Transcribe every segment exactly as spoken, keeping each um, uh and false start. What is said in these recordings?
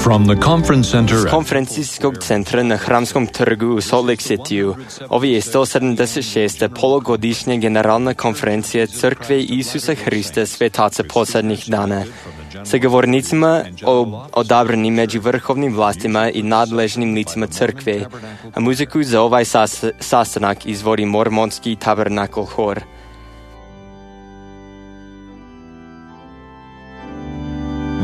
From the conference center Z konferencijskog centra na Hramskom trgu u Salt Lake City-u, ovo je sto sedamdeset šesta polugodišnja generalna konferencija Crkve Isusa Hrista Svetaca posljednjih dana, sa govornicima odabranim među vrhovnim vlastima i nadležnim licima crkve, a muziku za ovaj sas, sastanak izvodi Mormonski Tabernacle Hor.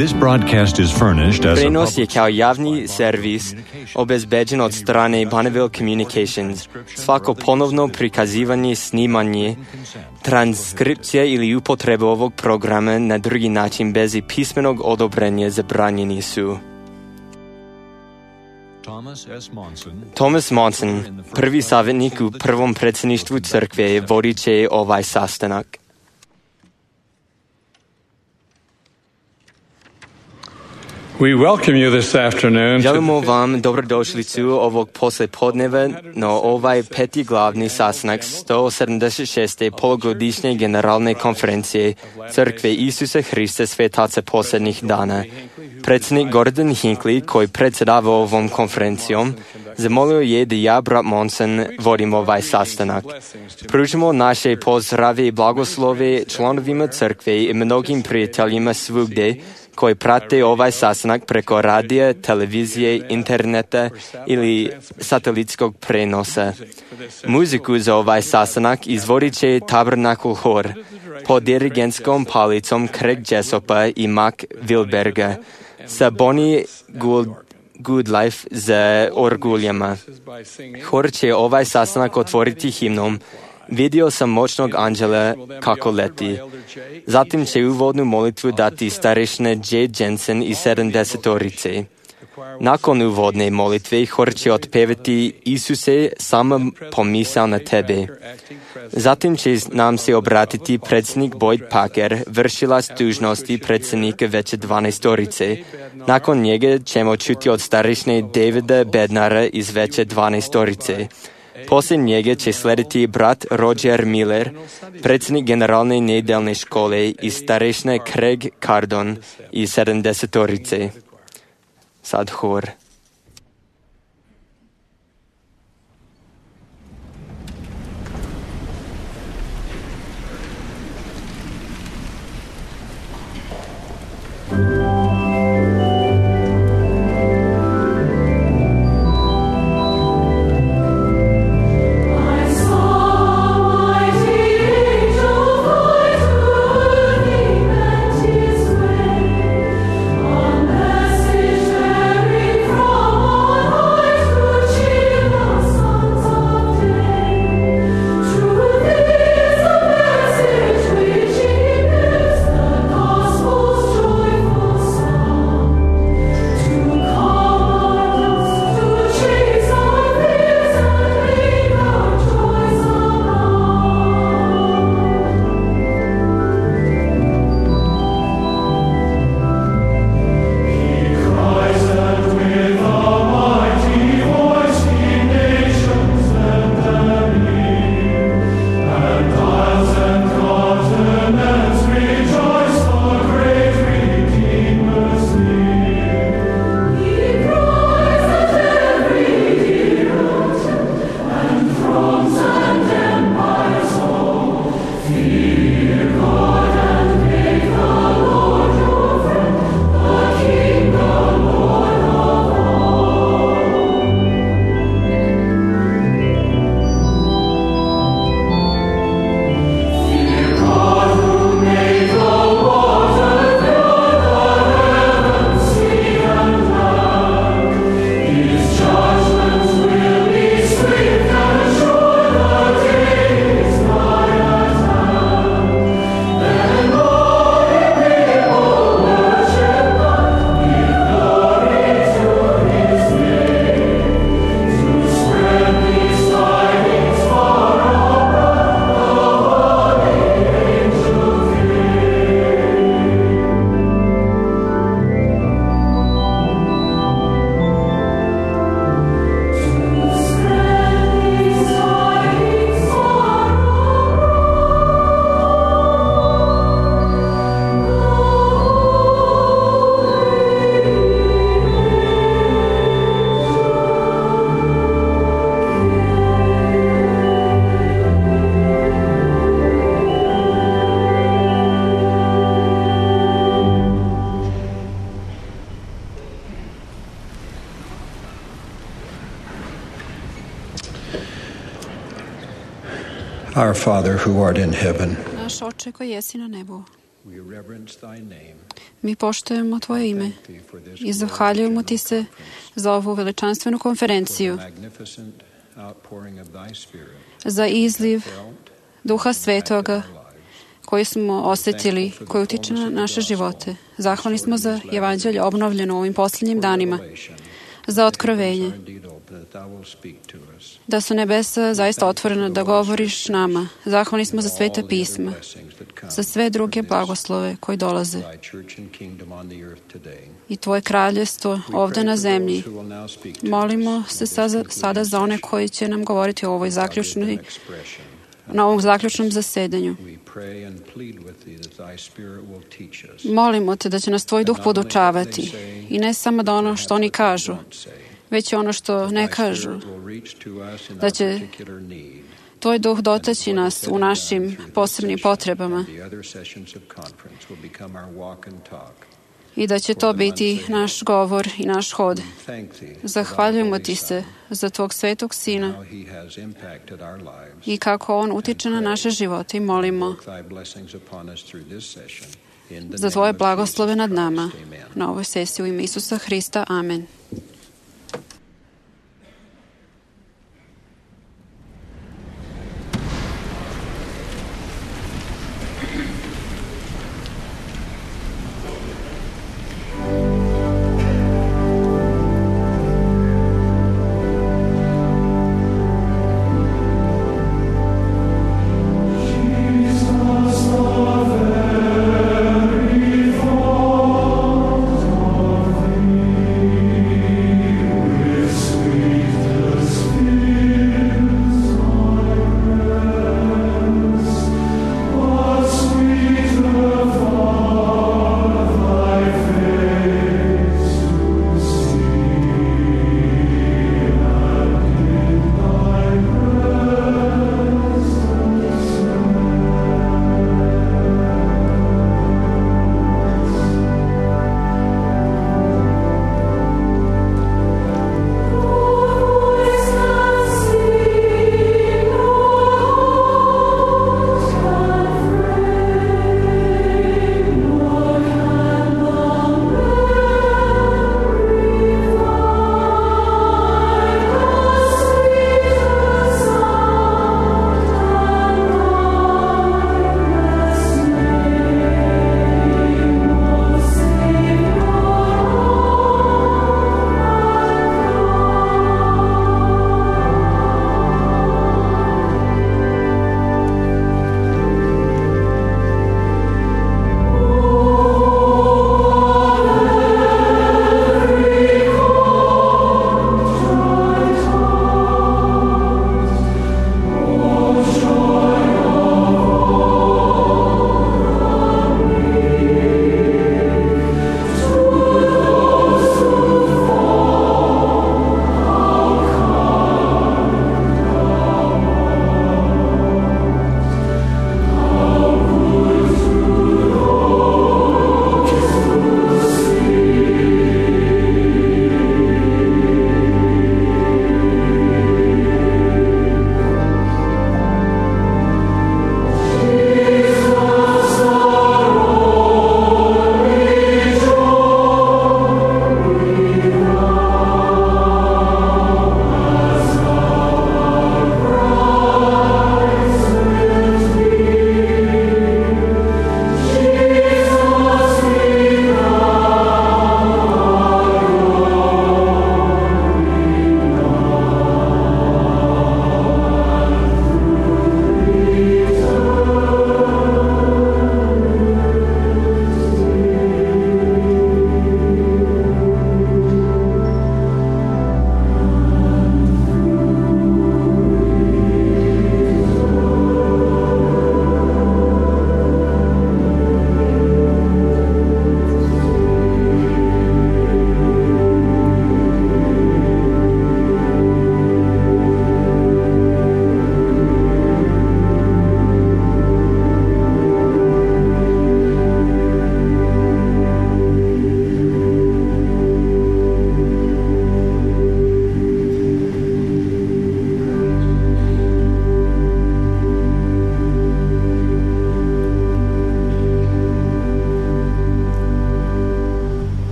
This broadcast is furnished as a Prenos je public kao javni servis obezbeđen od strane Bonneville Communications. Svako ponovno prikazivanje, snimanje, transkripcija ili upotreba ovog programa na drugi način bez pismenog odobrenja zabranjeni su. Thomas S. Monson, Thomas Monson, prvi savjetnik u prvom predsjedništvu crkve, vodit će ovaj sastanak. We welcome you this afternoon. Želimo vam dobrodošlicu ovog poslijepodneva na ovaj peti glavni sastanak sto sedamdeset šeste polugodišnje generalne konferencije Crkve Isusa Hrista Svetaca posljednjih dana. Predsjednik Gordon Hinckley, koji predsjedava ovom konferencijom, zamolio je da ja, brat Monson, vodim ovaj sastanak. Pružimo naše pozdrave i blagoslove članovima crkve i mnogim prijateljima svugdje koji prate ovaj sastanak preko radija, televizije, interneta ili satelitskog prenosa. Muziku za ovaj sastanak izvodit će Tabernacle Hor pod dirigentskom palicom Craig Jessopa i Mac Wilberga sa Bonnie Gould Goodlife za orguljama. Hor će ovaj sastanak otvoriti himnom Vidio sam moćnog anđela kako leti. Zatim će uvodnu molitvu dati starešina J. Jensen i sedamdesetorice. Nakon uvodne molitve hor će otpevati Isuse, sama pomisao na tebe. Zatim će nam se obratiti predsjednik Boyd Packer, vršilac dužnosti predsjednika veće dvanaestorice. Nakon njega ćemo čuti od starešine Davida Bednara iz veće dvanaestorice. Poslije njega će slediti brat Roger Miller, predsjednik generalne nedeljne škole i starešina Craig Cardon iz sedamdesetorice. Sad hor. From Our Father who art in heaven, Naš Oče koji jesi na nebu, we reverence thy name. mi poštujemo Tvoje ime Thank thee for this i zahvaljujemo Ti se za ovu veličanstvenu for konferenciju, the magnificent outpouring of thy Spirit za izliv felt Duha in Svetoga our lives. koji smo osjetili, koji utiče na naše živote. Zahvalni smo za evanđelje obnovljeno u ovim posljednjim danima, za otkrovenje, da su nebesa zaista otvorena da govoriš nama. Zahvalni smo za sveta pisma, za sve druge blagoslove koji dolaze i Tvoje kraljestvo ovdje na zemlji. Molimo se sada, sada za one koji će nam govoriti o ovoj zaključnoj, na ovom zaključnom zasedanju. Molimo Te da će nas Tvoj duh podučavati i ne samo da ono što oni kažu, već i ono što ne kažu, da će Tvoj duh dotaći nas u našim posebnim potrebama i da će to biti naš govor i naš hod. Zahvaljujemo Ti se za Tvog svetog Sina i kako On utiče na naše živote i molimo za Tvoje blagoslove nad nama na ovoj sesiji u ime Isusa Hrista. Amen. Thank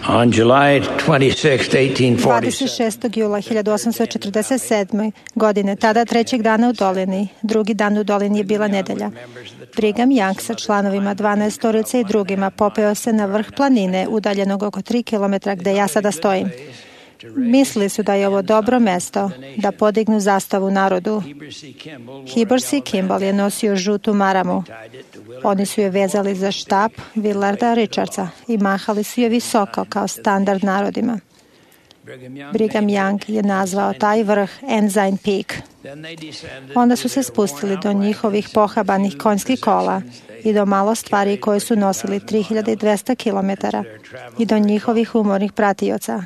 On July twenty-sixth, eighteen forty-seven. dvadeset šestog jula hiljadu osamsto četrdeset sedme. godine, tada trećeg dana u dolini, drugi dan u dolini je bila nedelja. Brigham Young sa članovima dvanaestorice i drugima popeo se na vrh planine udaljenog oko tri kilometra gde ja sada stojim. Mislili su da je ovo dobro mesto da podignu zastavu narodu. Heber C. Kimball je nosio žutu maramu. Oni su je vezali za štap Willarda Richardsa i mahali su je visoko kao standard narodima. Brigham Young je nazvao taj vrh Ensign Peak. Onda su se spustili do njihovih pohabanih konjskih kola i do malo stvari koje su nosili tri hiljade dvesta kilometara i do njihovih umornih pratioca.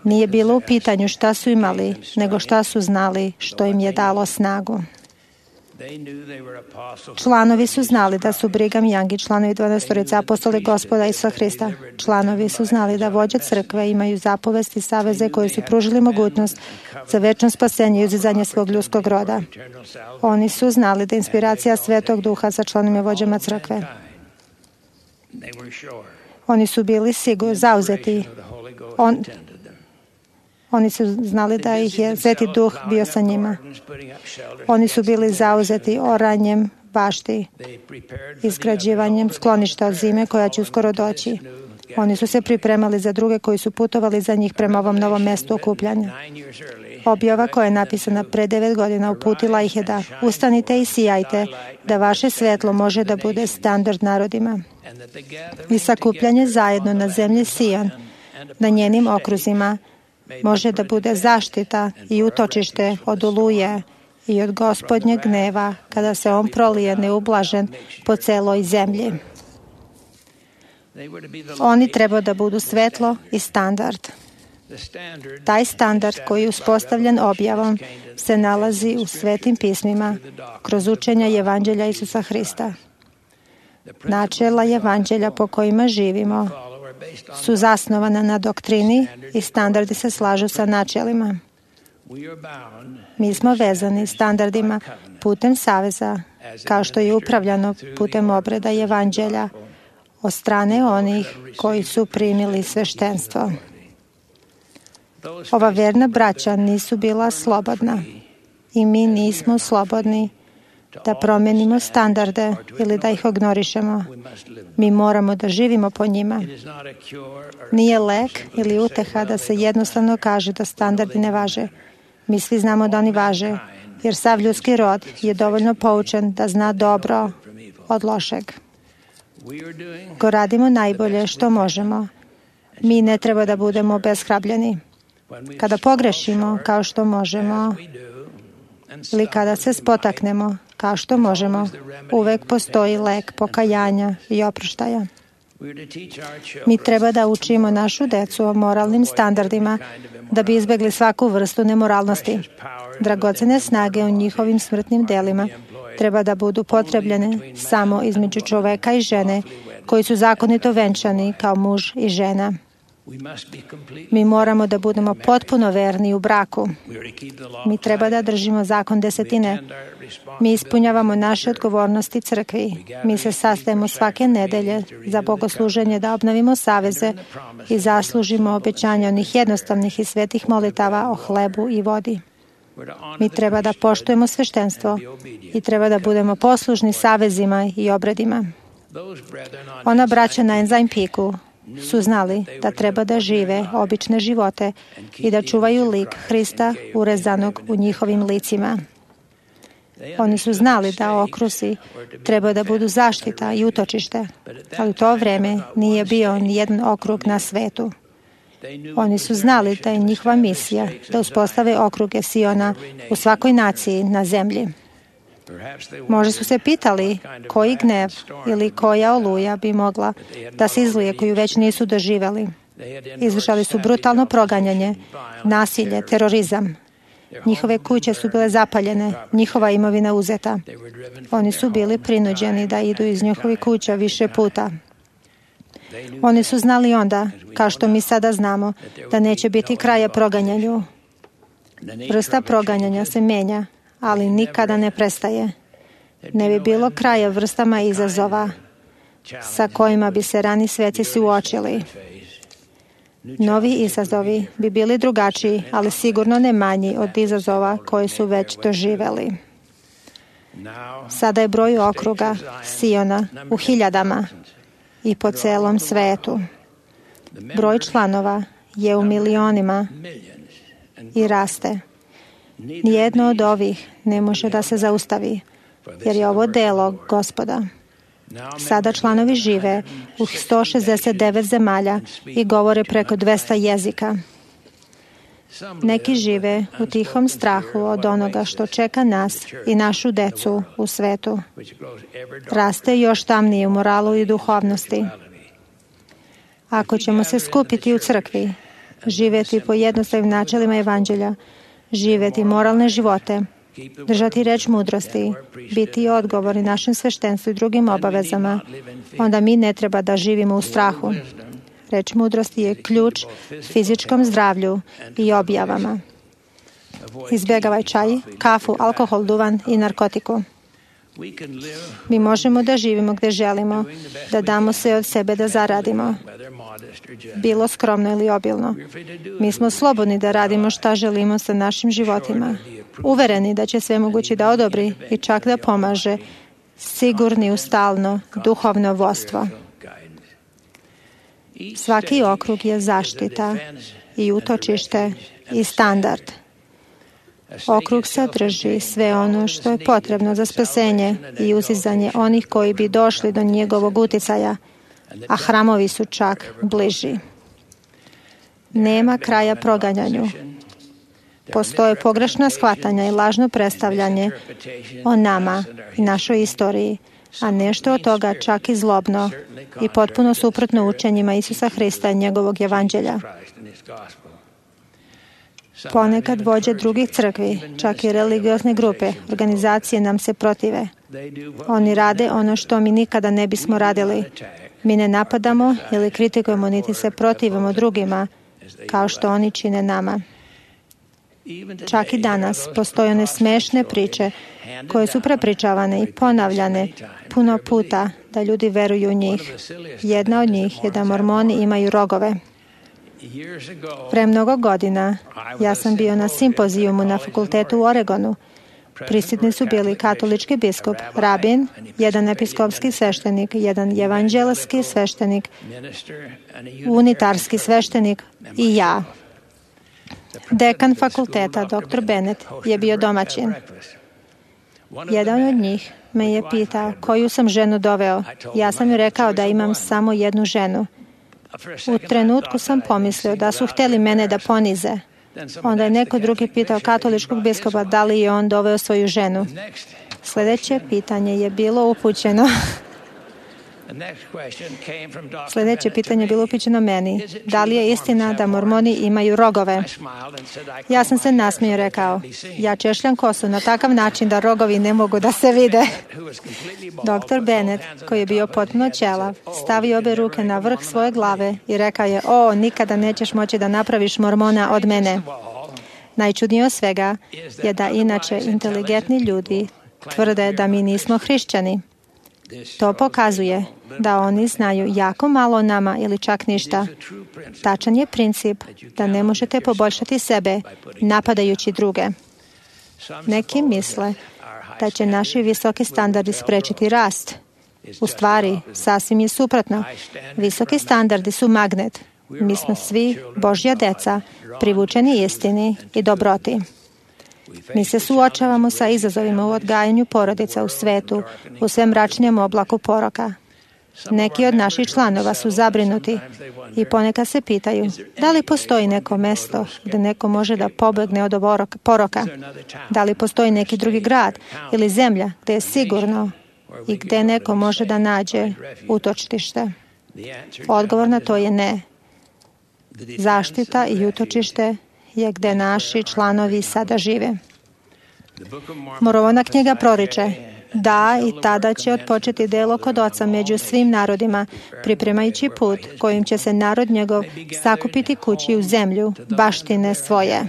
Nije bilo u pitanju šta su imali, nego šta su znali što im je dalo snagu. Članovi su znali da su Brigham Young i članovi dvanaestorice apostoli Gospoda Isusa Hrista. Članovi su znali da vođe crkve imaju zapovesti i saveze koji su pružili mogućnost za večno spasenje i uzizanje svog ljudskog roda. Oni su znali da je inspiracija Svetog Duha sa članovima vođama crkve. Oni su bili sigurni, zauzeti. On, oni su znali da ih je Sveti Duh bio sa njima. Oni su bili zauzeti oranjem bašti, izgrađivanjem skloništa od zime koja će uskoro doći. Oni su se pripremali za druge koji su putovali za njih prema ovom novom mestu okupljanja. Objava koja je napisana pre devet godina uputila ih je da ustanite i sijajte, da vaše svetlo može da bude standard narodima. I sakupljanje zajedno na zemlji Sijon, na njenim okruzima, može da bude zaštita i utočište od oluje i od Gospodnjeg gneva kada se on prolije neublažen po celoj zemlji. Oni treba da budu svetlo i standard. Taj standard koji je uspostavljen objavom se nalazi u svetim pismima kroz učenja Evanđelja Isusa Hrista. Načela Evanđelja po kojima živimo su zasnovana na doktrini i standardi se slažu sa načelima. Mi smo vezani standardima putem saveza, kao što je upravljano putem obreda Evanđelja od strane onih koji su primili sveštenstvo. Ova verna braća nisu bila slobodna i mi nismo slobodni da promenimo standarde ili da ih ignorišemo. Mi moramo da živimo po njima. Nije lek ili uteha da se jednostavno kaže da standardi ne važe. Mi svi znamo da oni važe, jer sav ljudski rod je dovoljno poučen da zna dobro od lošeg. Ko radimo najbolje što možemo, mi ne treba da budemo obeshrabljeni. Kada pogrešimo kao što možemo ili kada se spotaknemo kao što možemo, uvek postoji lek pokajanja i oproštaja. Mi treba da učimo našu decu o moralnim standardima da bi izbegli svaku vrstu nemoralnosti. Dragocene snage u njihovim smrtnim delima treba da budu potrebljene samo između čoveka i žene koji su zakonito venčani kao muž i žena. Mi moramo da budemo potpuno verni u braku. Mi treba da držimo zakon desetine. Mi ispunjavamo naše odgovornosti crkvi. Mi se sastajemo svake nedelje za bogosluženje da obnovimo saveze i zaslužimo obećanja onih jednostavnih i svetih molitava o hlebu i vodi. Mi treba da poštujemo sveštenstvo i treba da budemo poslušni savezima i obredima. Ona braća na Ensign Peaku su znali da treba da žive obične živote i da čuvaju lik Hrista urezanog u njihovim licima. Oni su znali da okrusi treba da budu zaštita i utočište, ali u to vreme nije bio ni jedan okrug na svetu. Oni su znali da je njihova misija da uspostave okruge Siona u svakoj naciji na zemlji. Možda su se pitali koji gnev ili koja oluja bi mogla da se izlije koju već nisu doživeli. Izvršali su brutalno proganjanje, nasilje, terorizam. Njihove kuće su bile zapaljene, njihova imovina uzeta. Oni su bili prinuđeni da idu iz njihovih kuća više puta. Oni su znali onda, kao što mi sada znamo, da neće biti kraja proganjanju. Vrsta proganjanja se menja, ali nikada ne prestaje. Ne bi bilo kraja vrstama izazova sa kojima bi se rani sveci suočili. Novi izazovi bi bili drugačiji, ali sigurno ne manji od izazova koje su već doživeli. Sada je broj okruga Siona u hiljadama i po celom svetu. Broj članova je u milionima i raste. Nijedno od ovih ne može da se zaustavi, jer je ovo delo Gospoda. Sada članovi žive u sto šezdeset devet zemalja i govore preko dvesta jezika. Neki žive u tihom strahu od onoga što čeka nas i našu decu u svetu. Raste još tamnije u moralu i duhovnosti. Ako ćemo se skupiti u crkvi, živjeti po jednostavnim načelima evanđelja, živjeti moralne živote, držati reč mudrosti, biti odgovorni našem sveštenstvu i drugim obavezama, onda mi ne treba da živimo u strahu. Reč mudrosti je ključ fizičkom zdravlju i objavama. Izbjegavaj čaj, kafu, alkohol, duvan i narkotiku. Mi možemo da živimo gde želimo, da damo sve od sebe da zaradimo, bilo skromno ili obilno. Mi smo slobodni da radimo šta želimo sa našim životima, uvereni da će sve mogući da odobri i čak da pomaže, sigurni u stalno duhovno vodstvo. Svaki okrug je zaštita i utočište i standard. Okrug sadrži sve ono što je potrebno za spasenje i uzizanje onih koji bi došli do njegovog uticaja, a hramovi su čak bliži. Nema kraja proganjanju. Postoje pogrešna shvatanja i lažno predstavljanje o nama i našoj istoriji, a nešto od toga čak i zlobno i potpuno suprotno učenjima Isusa Hrista i njegovog evanđelja. Ponekad vođe drugih crkvi, čak i religiozne grupe, organizacije nam se protive. Oni rade ono što mi nikada ne bismo radili. Mi ne napadamo ili kritikujemo, niti se protivimo drugima, kao što oni čine nama. Čak i danas postoje one smešne priče koje su prepričavane i ponavljane puno puta da ljudi veruju u njih. Jedna od njih je da Mormoni imaju rogove. Pre mnogo godina ja sam bio na simpozijumu na fakultetu u Oregonu. Prisutni su bili katolički biskup, rabin, jedan episkopski sveštenik, jedan evanđelski sveštenik, unitarski sveštenik i ja. Dekan fakulteta, doktor Bennett, je bio domaćin. Jedan od njih me je pitao koju sam ženu doveo. Ja sam joj rekao da imam samo jednu ženu. U trenutku sam pomislio da su hteli mene da ponize. Onda je neko drugi pitao katoličkog biskupa da li je on doveo svoju ženu. Sljedeće pitanje je bilo upućeno Sljedeće pitanje je bilo upućeno meni. Da li je istina da Mormoni imaju rogove? Ja sam se nasmio i rekao, ja češljam kosu na takav način da rogovi ne mogu da se vide. doktor Bennett, koji je bio potpuno ćelav, stavio obe ruke na vrh svoje glave i rekao je, o, nikada nećeš moći da napraviš Mormona od mene. Najčudnije od svega je da inače inteligentni ljudi tvrde da mi nismo hrišćani. To pokazuje da oni znaju jako malo o nama ili čak ništa. Tačan je princip da ne možete poboljšati sebe napadajući druge. Neki misle da će naši visoki standardi sprečiti rast. U stvari, sasvim je suprotno. Visoki standardi su magnet. Mi smo svi Božja deca, privučeni istini i dobroti. Mi se suočavamo sa izazovima u odgajanju porodica u svetu, u sve mračnijem oblaku poroka. Neki od naših članova su zabrinuti i ponekad se pitaju da li postoji neko mesto gde neko može da pobegne od poroka, da li postoji neki drugi grad ili zemlja gde je sigurno i gde neko može da nađe utočište. Odgovor na to je ne. Zaštita i utočište je gde naši članovi sada žive. Mormona knjiga proriče, da, i tada će otpočeti delo kod Oca među svim narodima, pripremajući put kojim će se narod njegov sakupiti kući u zemlju, baštine svoje.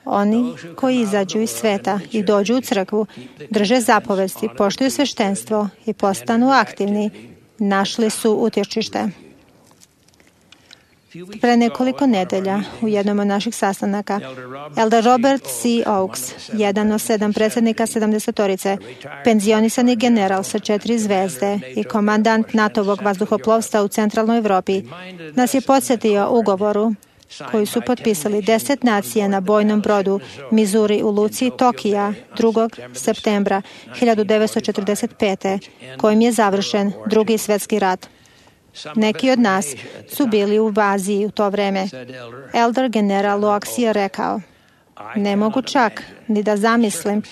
Oni koji izađu iz sveta i dođu u crkvu, drže zapovesti, poštuju sveštenstvo i postanu aktivni, našli su utočište. Pre nekoliko nedelja u jednom od naših sastanaka, Elder Robert C. Oakes, jedan od sedam predsjednika sedamdesetorice, penzionisani general sa četiri zvezde i komandant NATO-vog vazduhoplovstva u centralnoj Evropi, nas je podsjetio ugovoru koji su potpisali deset nacija na bojnom brodu Missouri u luci Tokija drugog septembra hiljadu devetsto četrdeset pete. kojim je završen Drugi svjetski rat. Neki od nas su bili u Aziji u to vreme. Elder general Oakes je rekao: ne mogu čak ni da zamislim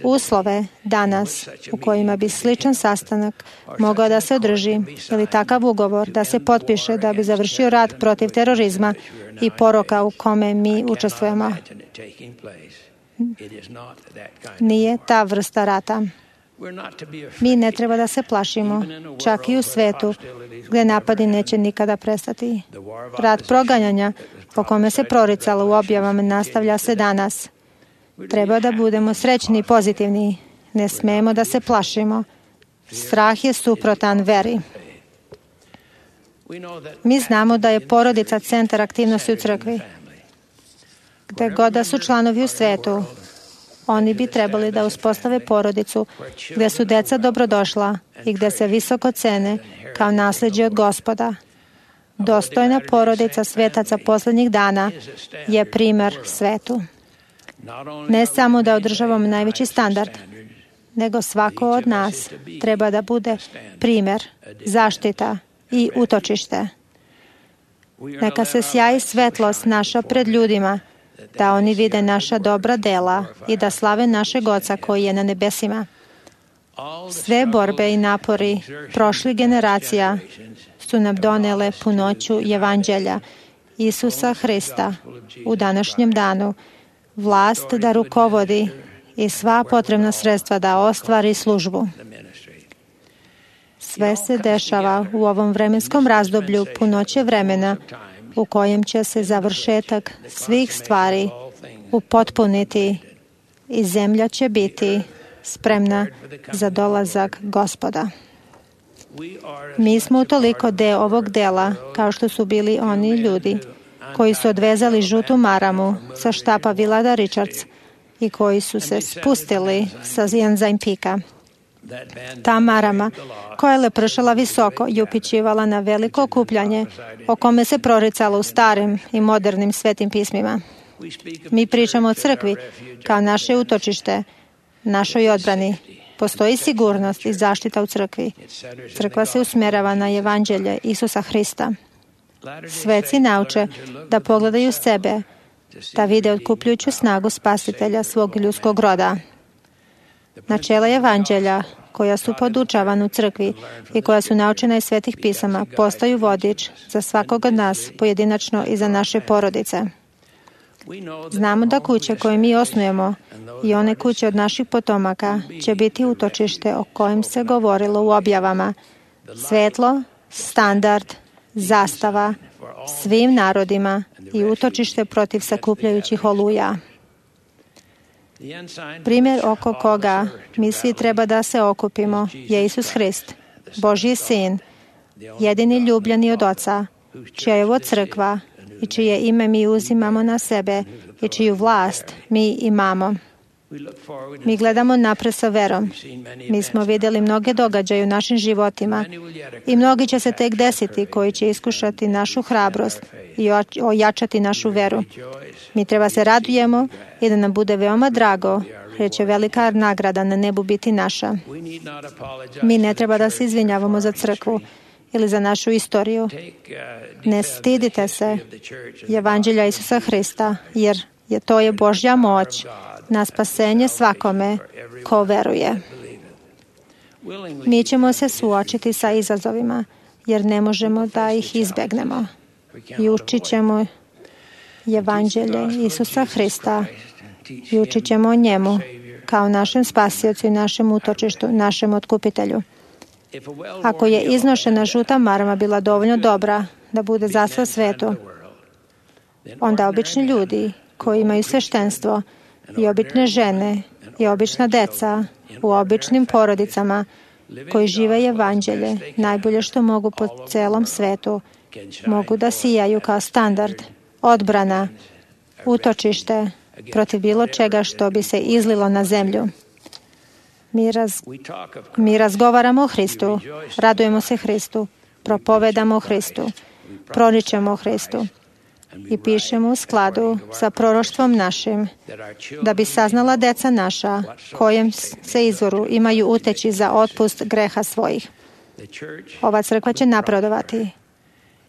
uslove danas u kojima bi sličan sastanak mogao da se održi ili takav ugovor da se potpiše da bi završio rat protiv terorizma i poroka u kome mi učestvujemo. Nije ta vrsta rata. Mi ne treba da se plašimo, čak i u svetu gdje napadi neće nikada prestati. Rat proganjanja po kome se proricalo u objavama nastavlja se danas. Treba da budemo srećni i pozitivni. Ne smemo da se plašimo. Strah je suprotan veri. Mi znamo da je porodica centar aktivnosti u crkvi. Gde god da su članovi u svetu, oni bi trebali da uspostave porodicu gde su deca dobrodošla i gde se visoko cene kao nasljeđe od Gospoda. Dostojna porodica svetaca poslednjih dana je primer svetu. Ne samo da održavamo najveći standard, nego svako od nas treba da bude primer, zaštita i utočište. Neka se sjaji svetlost naša pred ljudima, da oni vide naša dobra dela i da slave našeg Oca koji je na nebesima. Sve borbe i napori prošlih generacija su nam donele punoću Evanđelja Isusa Hrista u današnjem danu, vlast da rukovodi i sva potrebna sredstva da ostvari službu. Sve se dešava u ovom vremenskom razdoblju punoće vremena u kojem će se završetak svih stvari upotpuniti i zemlja će biti spremna za dolazak Gospoda. Mi smo utoliko deo ovog dela kao što su bili oni ljudi koji su odvezali žutu maramu sa štapa Willada Richards i koji su se spustili sa Jenzain Pika. Ta marama, koja je lepršala visoko i upićivala na veliko okupljanje o kome se proricalo u starim i modernim svetim pismima. Mi pričamo o crkvi kao naše utočište, našoj odbrani. Postoji sigurnost i zaštita u crkvi. Crkva se usmjerava na Evanđelje Isusa Hrista. Sveci nauče da pogledaju sebe, da vide otkupljujuću snagu spasitelja svog ljudskog roda. Načela Evanđelja, koja su podučavana u crkvi i koja su naučena iz svetih pisama, postaju vodič za svakog od nas pojedinačno i za naše porodice. Znamo da kuće koje mi osnujemo i one kuće od naših potomaka će biti utočište o kojem se govorilo u objavama. Svetlo, standard, zastava svim narodima i utočište protiv sakupljajućih oluja. Primjer oko koga mi svi treba da se okupimo je Isus Hrist, Božji sin, jedini ljubljeni od Oca, čija je ovo crkva i čije ime mi uzimamo na sebe i čiju vlast mi imamo. Mi gledamo napred sa verom. Mi smo vidjeli mnoge događaje u našim životima i mnogi će se tek desiti koji će iskušati našu hrabrost i ojačati našu veru. Mi treba se radujemo i da nam bude veoma drago, jer će velika nagrada na nebu biti naša. Mi ne treba da se izvinjavamo za crkvu ili za našu istoriju. Ne stidite se Evanđelja Isusa Hrista, jer je to je Božja moć na spasenje svakome ko veruje. Mi ćemo se suočiti sa izazovima, jer ne možemo da ih izbegnemo. I učit ćemo Evanđelje Isusa Hrista i učit ćemo o njemu kao našem spasiocu i našem utočištu, našem otkupitelju. Ako je iznošena žuta marama bila dovoljno dobra da bude zasla svetu, onda obični ljudi koji imaju sveštenstvo i obične žene i obična deca u običnim porodicama koji žive Evanđelje najbolje što mogu po celom svetu mogu da sijaju kao standard, odbrana, utočište protiv bilo čega što bi se izlilo na zemlju. Mi, raz, mi razgovaramo o Hristu, radujemo se Hristu, propovedamo o Hristu, proričemo o Hristu i pišemo u skladu sa proroštvom našim, da bi saznala deca naša kojem se izvoru imaju uteći za otpust greha svojih. Ova crkva će napredovati.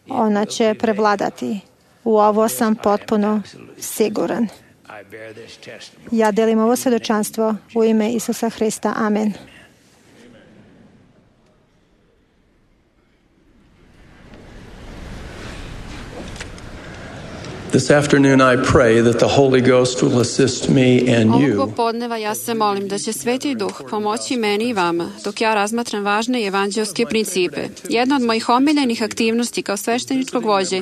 Ona će prevladati. U ovo sam potpuno siguran. Ja delim ovo svedočanstvo u ime Isusa Hrista. Amen. This afternoon I pray that the Holy Ghost will assist me and you. Ovog popodneva ja se molim da će Sveti Duh pomoći meni i vama dok ja razmatram važne evanđelske principe. Jedna od mojih omiljenih aktivnosti kao svešteničkog vođe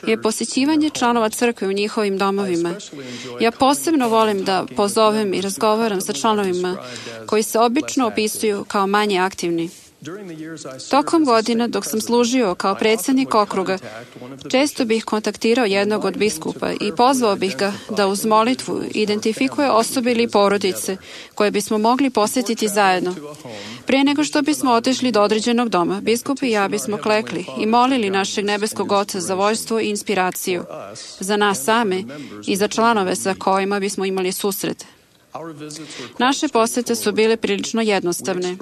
je posjećivanje članova crkve u njihovim domovima. Ja posebno volim da pozovem i razgovaram sa članovima koji se obično opisuju kao manje aktivni. Tokom godina, dok sam služio kao predsjednik okruga, često bih kontaktirao jednog od biskupa i pozvao bih ga da uz molitvu identifikuje osobe ili porodice koje bismo mogli posjetiti zajedno. Prije nego što bismo otišli do određenog doma, biskup i ja bismo klekli i molili našeg nebeskog Oca za vođstvo i inspiraciju, za nas same i za članove sa kojima bismo imali susret. Naše posete su bile prilično jednostavne.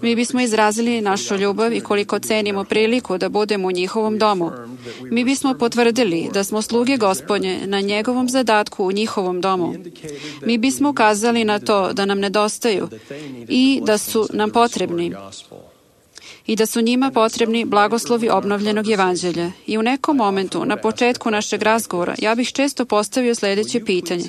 Mi bismo izrazili našu ljubav i koliko cenimo priliku da budemo u njihovom domu. Mi bismo potvrdili da smo sluge Gospodnje na njegovom zadatku u njihovom domu. Mi bismo ukazali na to da nam nedostaju i da su nam potrebni. I da su njima potrebni blagoslovi obnovljenog evanđelja. I u nekom momentu, na početku našeg razgovora, ja bih često postavio sljedeće pitanje.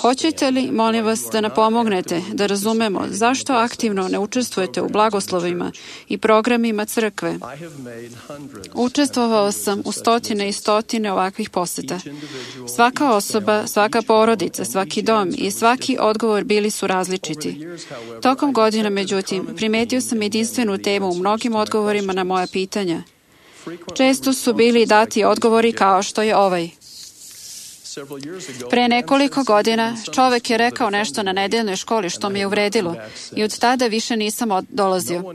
Hoćete li, molim vas, da nam pomognete da razumemo zašto aktivno ne učestvujete u blagoslovima i programima crkve? Učestvovao sam u stotine i stotine ovakvih poseta. Svaka osoba, svaka porodica, svaki dom i svaki odgovor bili su različiti. Tokom godina, međutim, primetio sam jedinstvenu temu u mnogim odgovorima na moja pitanja. Često su bili dati odgovori kao što je ovaj. Pre nekoliko godina čovek je rekao nešto na nedeljnoj školi što me je uvredilo i od tada više nisam dolazio.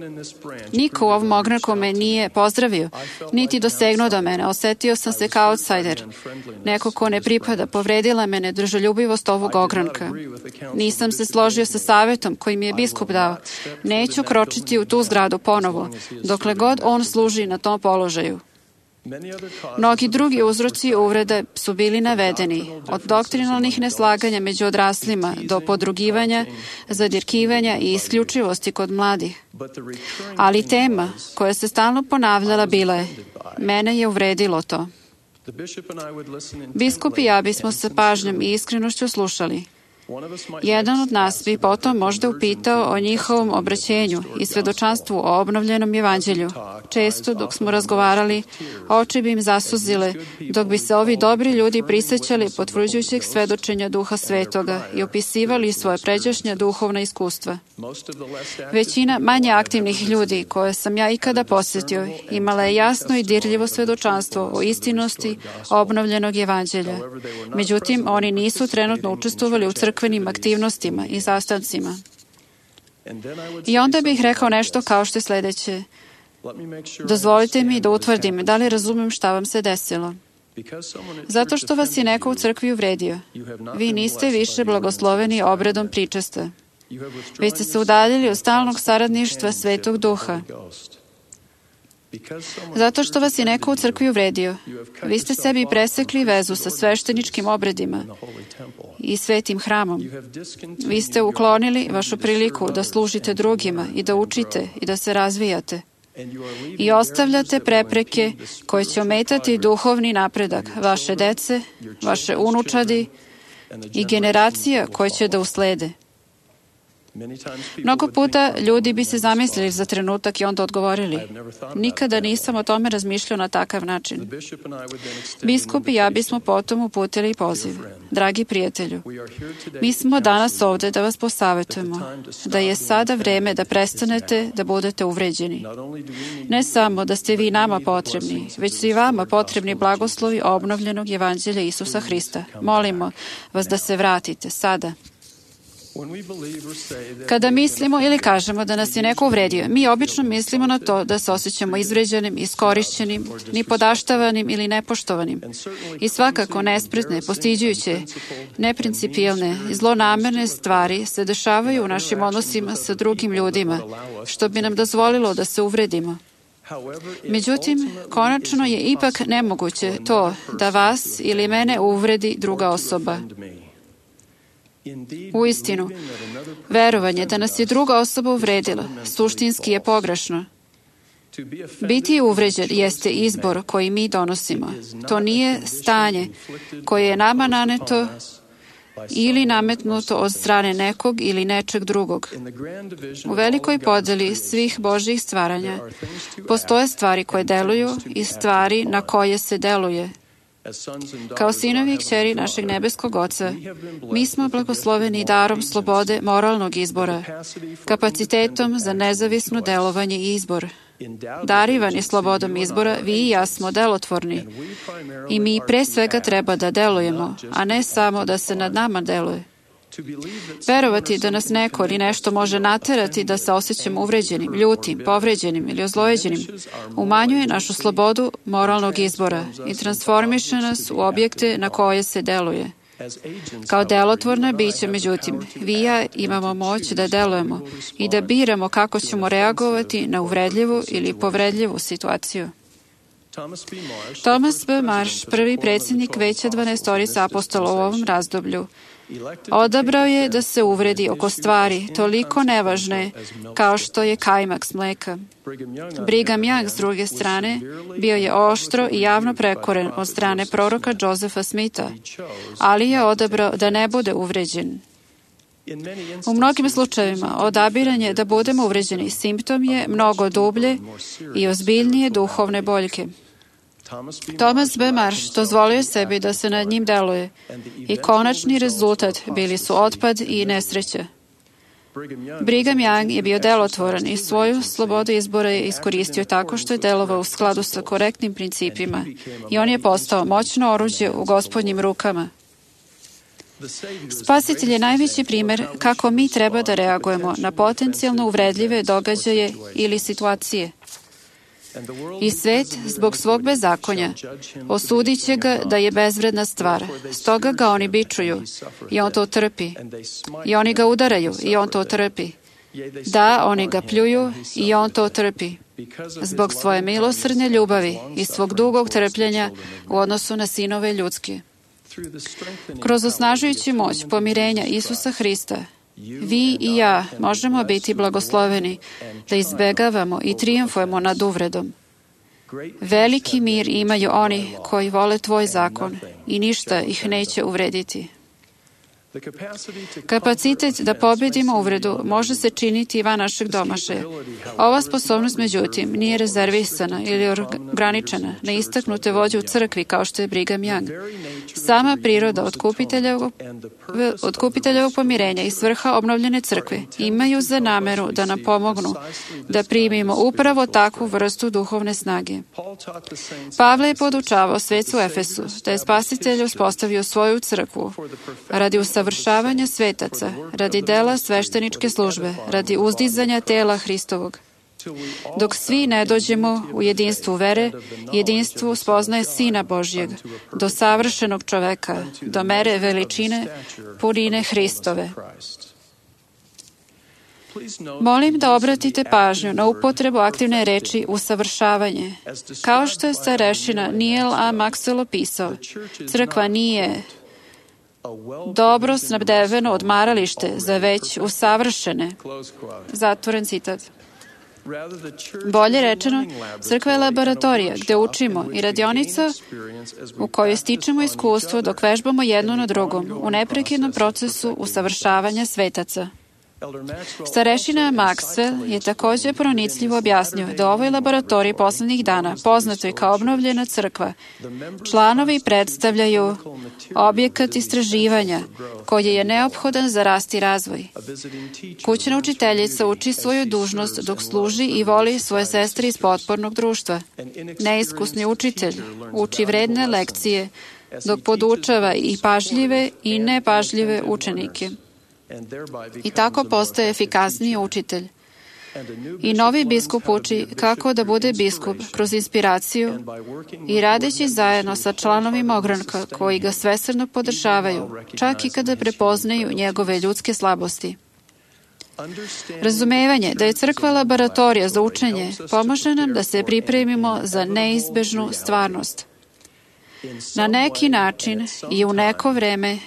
Niko u ovom ogranku me nije pozdravio, niti dosegnuo do mene. Osetio sam se kao outsider. Neko ko ne pripada, povredila me nedružoljubivost ovog ogranka. Nisam se složio sa savjetom koji mi je biskup dao. Neću kročiti u tu zgradu ponovo, dokle god on služi na tom položaju. Mnogi drugi uzroci uvrede su bili navedeni, od doktrinalnih neslaganja među odraslima do podrugivanja, zadirkivanja i isključivosti kod mladih. Ali tema koja se stalno ponavljala bila je, mene je uvredilo to. Biskup i ja bismo sa pažnjom i iskrenošću slušali. Jedan od nas bi potom možda upitao o njihovom obraćenju i svedočanstvu o obnovljenom evanđelju. Često, dok smo razgovarali, oči bi im zasuzile, dok bi se ovi dobri ljudi prisjećali potvrđujućeg svedočenja Duha Svetoga i opisivali svoje pređašnja duhovna iskustva. Većina manje aktivnih ljudi koje sam ja ikada posjetio imala je jasno i dirljivo svedočanstvo o istinosti obnovljenog evanđelja. Međutim, oni nisu trenutno učestvovali u crkvenim aktivnostima i sastancima. I onda bih rekao nešto kao što je sljedeće. Dozvolite mi da utvrdim da li razumem šta vam se desilo. Zato što vas je neko u crkvi uvredio. Vi niste više blagosloveni obredom pričesta. Vi ste se udaljili od stalnog saradništva Svetog Duha. Zato što vas je neko u crkvi uvredio, vi ste sebi presekli vezu sa svešteničkim obredima i svetim hramom. Vi ste uklonili vašu priliku da služite drugima i da učite i da se razvijate. I ostavljate prepreke koje će ometati duhovni napredak vaše dece, vaše unučadi i generacija koje će da uslede. Mnogo puta ljudi bi se zamislili za trenutak i onda odgovorili: nikada nisam o tome razmišljao na takav način. Biskup i ja bismo potom uputili poziv: dragi prijatelju, mi smo danas ovde da vas posavetujemo da je sada vreme da prestanete da budete uvređeni. Ne samo da ste vi nama potrebni, već su i vama potrebni blagoslovi obnovljenog evanđelja Isusa Hrista. Molimo vas da se vratite sada. Kada mislimo ili kažemo da nas je neko uvredio, mi obično mislimo na to da se osjećamo izvređenim, iskorišćenim, nipodaštavanim ili nepoštovanim. I svakako nespretne, postiđujuće, neprincipijelne i zlonamerne stvari se dešavaju u našim odnosima sa drugim ljudima, što bi nam dozvolilo da se uvredimo. Međutim, konačno je ipak nemoguće to da vas ili mene uvredi druga osoba. Uistinu, verovanje da nas je druga osoba uvredila suštinski je pogrešno. Biti uvređen jeste izbor koji mi donosimo. To nije stanje koje je nama naneto ili nametnuto od strane nekog ili nečeg drugog. U velikoj podeli svih Božjih stvaranja postoje stvari koje deluju i stvari na koje se deluje. Kao sinovi i kćeri našeg nebeskog Oca, mi smo blagosloveni darom slobode moralnog izbora, kapacitetom za nezavisno delovanje i izbor. Darivani slobodom izbora, vi i ja smo delotvorni i mi pre svega treba da delujemo, a ne samo da se nad nama deluje. Verovati da nas neko ili nešto može naterati da se osjećamo uvređenim, ljutim, povređenim ili ozlojeđenim, umanjuje našu slobodu moralnog izbora i transformiše nas u objekte na koje se deluje. Kao delotvorna bića, međutim, vi i ja imamo moć da delujemo i da biramo kako ćemo reagovati na uvredljivu ili povredljivu situaciju. Thomas B. Marsh, prvi predsjednik Veća dvanaestorice apostola u ovom razdoblju, odabrao je da se uvredi oko stvari toliko nevažne kao što je kajmak s mleka. Brigham Young, s druge strane, bio je oštro i javno prekoren od strane proroka Josepha Smitha, ali je odabrao da ne bude uvređen. U mnogim slučajevima odabiranje da budemo uvređeni simptom je mnogo dublje i ozbiljnije duhovne boljke. Thomas B. Marsh dozvolio sebi da se nad njim deluje i konačni rezultat bili su otpad i nesreća. Brigham Young je bio delotvoran i svoju slobodu izbora je iskoristio tako što je delovao u skladu sa korektnim principima i on je postao moćno oruđe u Gospodnjim rukama. Spasitelj je najveći primjer kako mi treba da reagujemo na potencijalno uvredljive događaje ili situacije. I svet, zbog svog bezakonja, osudit će ga da je bezvredna stvar. Stoga ga oni bičuju i on to trpi. I oni ga udaraju i on to trpi. Da, oni ga pljuju i on to trpi. Zbog svoje milosrdne ljubavi i svog dugog trpljenja u odnosu na sinove ljudske. Kroz osnažujući moć pomirenja Isusa Hrista, vi i ja možemo biti blagosloveni da izbegavamo i trijumfujemo nad uvredom. Veliki mir imaju oni koji vole tvoj zakon i ništa ih neće uvrediti. Kapacitet da pobedimo uvredu može se činiti i van našeg domašaja. Ova sposobnost, međutim, nije rezervisana ili ograničena na istaknute vođe u crkvi kao što je Brigham Young. Sama priroda otkupiteljevog, otkupiteljevog pomirenja i svrha obnovljene crkve imaju za nameru da nam pomognu da primimo upravo takvu vrstu duhovne snage. Pavle je podučavao svecu Efesu da je Spasitelj uspostavio svoju crkvu radi usavršavanja svetaca, radi dela svešteničke službe, radi uzdizanja tela Hristovog. Dok svi ne dođemo u jedinstvu vere, jedinstvu spoznaje Sina Božjeg, do savršenog čoveka, do mere veličine, punine Hristove. Molim da obratite pažnju na upotrebu aktivne reči usavršavanje. Kao što je starešina Neil A. Maxwell opisao, crkva nije dobro snabdeveno odmaralište za već usavršene. Zatvoren citat. Bolje rečeno, crkva je laboratorija gde učimo i radionica u kojoj stičemo iskustvo dok vežbamo jedno na drugom u neprekidnom procesu usavršavanja svetaca. Starešina Maxwell je također pronicljivo objasnio da ovoj laboratoriji poslednjih dana, poznatoj kao obnovljena crkva, članovi predstavljaju objekat istraživanja koji je neophodan za rast i razvoj. Kućna učiteljica uči svoju dužnost dok služi i voli svoje sestre iz potpornog društva. Neiskusni učitelj uči vredne lekcije dok podučava i pažljive i nepažljive učenike. I tako postaje efikasniji učitelj. I novi biskup uči kako da bude biskup kroz inspiraciju i radeći zajedno sa članovima ogranka koji ga svesrdno podržavaju, čak i kada prepoznaju njegove ljudske slabosti. Razumevanje da je crkva laboratorija za učenje pomaže nam da se pripremimo za neizbežnu stvarnost. Na neki način i u neko vreme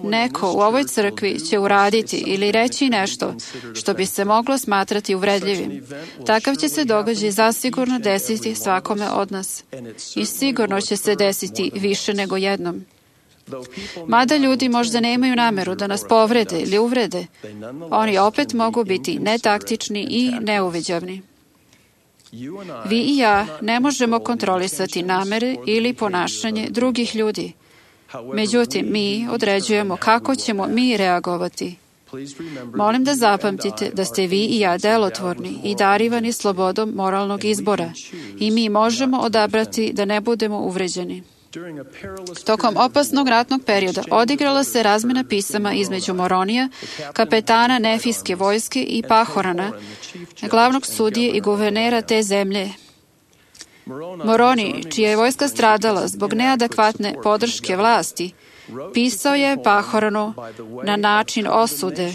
neko u ovoj crkvi će uraditi ili reći nešto što bi se moglo smatrati uvredljivim. Takav će se događaj zasigurno desiti svakome od nas. I sigurno će se desiti više nego jednom. Mada ljudi možda nemaju nameru da nas povrede ili uvrede, oni opet mogu biti netaktični i neuviđavni. Vi i ja ne možemo kontrolisati namere ili ponašanje drugih ljudi. Međutim, mi određujemo kako ćemo mi reagovati. Molim da zapamtite da ste vi i ja delotvorni i darivani slobodom moralnog izbora i mi možemo odabrati da ne budemo uvređeni. Tokom opasnog ratnog perioda odigrala se razmena pisama između Moronija, kapetana Nefijske vojske i Pahorana, glavnog sudije i guvernera te zemlje. Moroni, čija je vojska stradala zbog neadekvatne podrške vlasti, pisao je Pahoranu na način osude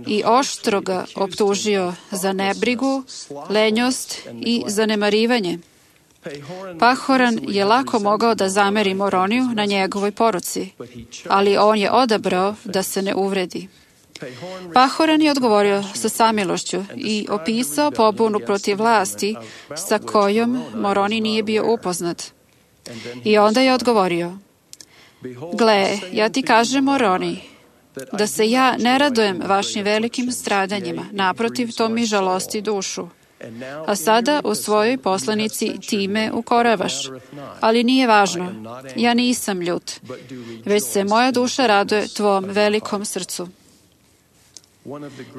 i oštro ga optužio za nebrigu, lenjost i zanemarivanje. Pahoran je lako mogao da zameri Moroniju na njegovoj poruci, ali on je odabrao da se ne uvredi. Pahoran je odgovorio sa samilošću i opisao pobunu protiv vlasti sa kojom Moroni nije bio upoznat. I onda je odgovorio: Gle, ja ti kažem, Moroni, da se ja ne radujem vašim velikim stradanjima, naprotiv, to mi žalosti dušu. A sada u svojoj poslanici ti me ukoravaš. Ali nije važno, ja nisam ljut, već se moja duša raduje tvom velikom srcu.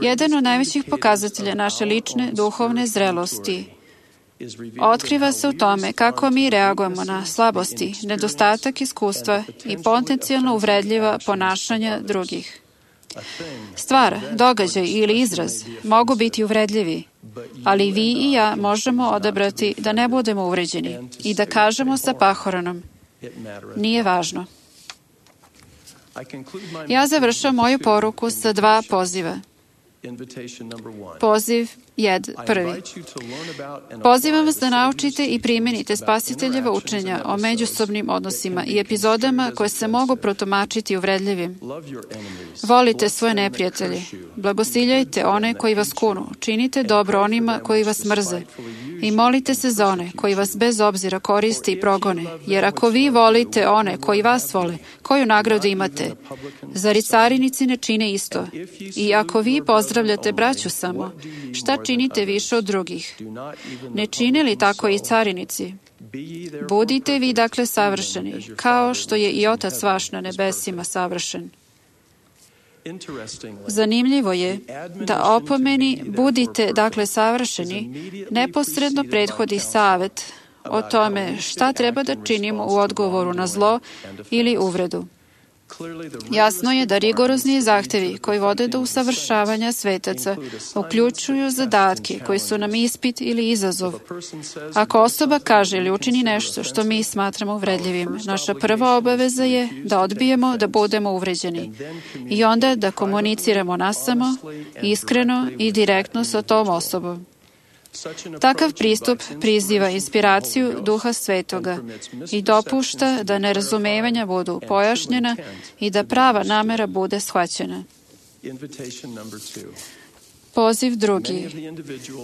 Jedan od najvećih pokazatelja naše lične duhovne zrelosti otkriva se u tome kako mi reagujemo na slabosti, nedostatak iskustva i potencijalno uvredljiva ponašanja drugih. Stvar, događaj ili izraz mogu biti uvredljivi, ali vi i ja možemo odabrati da ne budemo uvređeni i da kažemo sa Pahoranom: nije važno. Ja završam moju poruku sa dva poziva. Poziv jed, prvi. Pozivam vas da naučite i primenite Spasiteljeva učenja o međusobnim odnosima i epizodama koje se mogu protumačiti uvredljivim. Volite svoje neprijatelje, blagosiljajte one koji vas kunu, činite dobro onima koji vas mrze i molite se za one koji vas bez obzira koriste i progone, jer ako vi volite one koji vas vole, koju nagradu imate? Zar i carinici ne čine isto? I ako vi pozdravljate braću samo, šta činite više od drugih? Ne čine li tako i carinici? Budite vi dakle savršeni, kao što je i Otac vaš na nebesima savršen. Zanimljivo je da opomeni budite dakle savršeni neposredno prethodi savet o tome šta treba da činimo u odgovoru na zlo ili uvredu. Jasno je da rigorozni zahtevi koji vode do usavršavanja svetaca uključuju zadatke koji su nam ispit ili izazov. Ako osoba kaže ili učini nešto što mi smatramo uvredljivim, naša prva obaveza je da odbijemo da budemo uvređeni i onda da komuniciramo nasamo, iskreno i direktno sa tom osobom. Takav pristup priziva inspiraciju Duha Svetoga i dopušta da nerazumevanja budu pojašnjena i da prava namera bude shvaćena. Poziv drugi.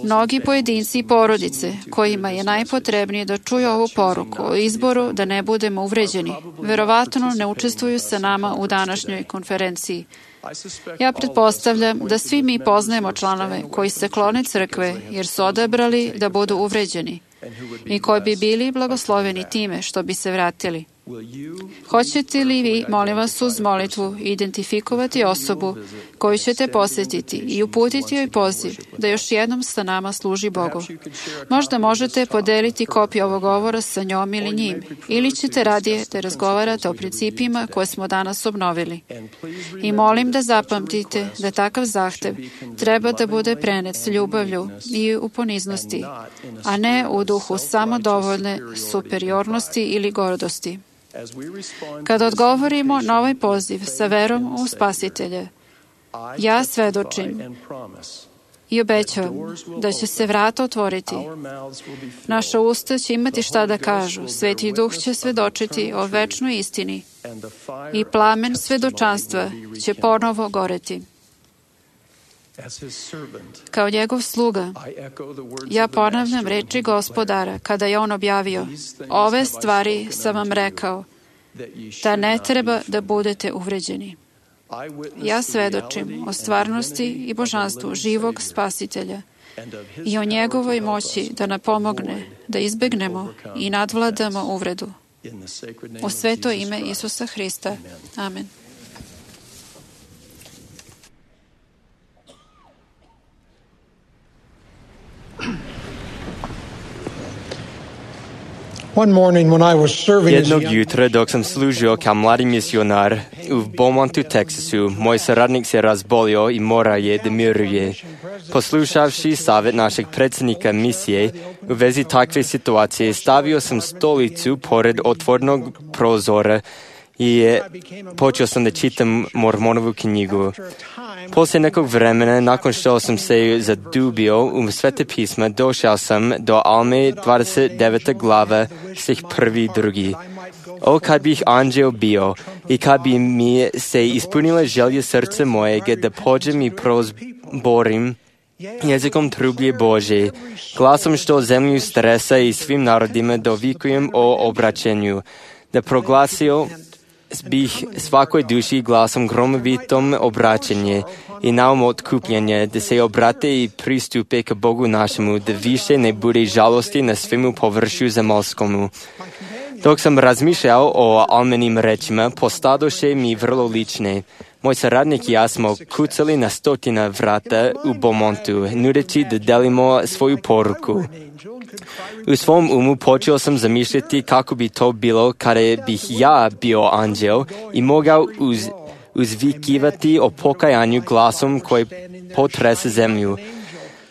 Mnogi pojedinci i porodice kojima je najpotrebnije da čuju ovu poruku o izboru da ne budemo uvređeni, verovatno ne učestvuju sa nama u današnjoj konferenciji. Ja pretpostavljam da svi mi poznajemo članove koji se klone crkve jer su odabrali da budu uvređeni i koji bi bili blagosloveni time što bi se vratili. Hoćete li vi, molim vas, uz molitvu identifikovati osobu koju ćete posjetiti i uputiti joj poziv da još jednom sa nama služi Bogu? Možda možete podeliti kopiju ovog govora sa njom ili njim, ili ćete radije da razgovarate o principima koje smo danas obnovili. I molim da zapamtite da takav zahtev treba da bude prenet s ljubavlju i u poniznosti, a ne u duhu samodovoljne superiornosti ili gordosti. Kada odgovorimo na ovaj poziv sa verom u Spasitelja, ja svedočim i obećavam da će se vrata otvoriti. Naša usta će imati šta da kažu, Sveti Duh će svedočiti o večnoj istini i plamen svedočanstva će ponovo goreti. Kao njegov sluga, ja ponavljam reči Gospodara kada je on objavio: ove stvari sam vam rekao, da ne treba da budete uvređeni. Ja svedočim o stvarnosti i božanstvu živog Spasitelja i o njegovoj moći da nam pomogne da izbegnemo i nadvladamo uvredu. U sveto ime Isusa Hrista. Amen. Jednog jutra dok sam služio kao mladi misionar u Beaumontu, Teksasu, moj saradnik se razbolio i mora je da miruje. Poslušavši savjet našeg predsjednika misije u vezi takve situacije, stavio sam stolicu pored otvornog prozora i počeo sam da čitam Mormonovu knjigu. Poslije nekog vremena, nakon što sam se zadubio u Svete pisma, došao sam do Alme dvadeset deveta glava, stih prvi i drugi. O, kad bih anđeo bio i kad bi mi se ispunila želja srca mojega da pođem i prozborim jezikom trublje Bože, glasom što zemlju stresa i svim narodima dovikujem o obraćenju, da proglasio bih svakoj duši glasom gromovitom obraćanje i naum otkupljenje, da se obrate i pristupe ka Bogu našemu, da više ne bude žalosti na svemu površju zemaljskomu. Dok sam razmišljao o almenim rečima, postadoše mi vrlo lične. Moj saradnik i ja smo kucali na stotina vrata u Beaumontu, nudeći da delimo svoju poruku. U svom umu počeo sam zamišljati kako bi to bilo kada bih ja bio anđeo i mogao uz, uzvikivati o pokajanju glasom koji potrese zemlju.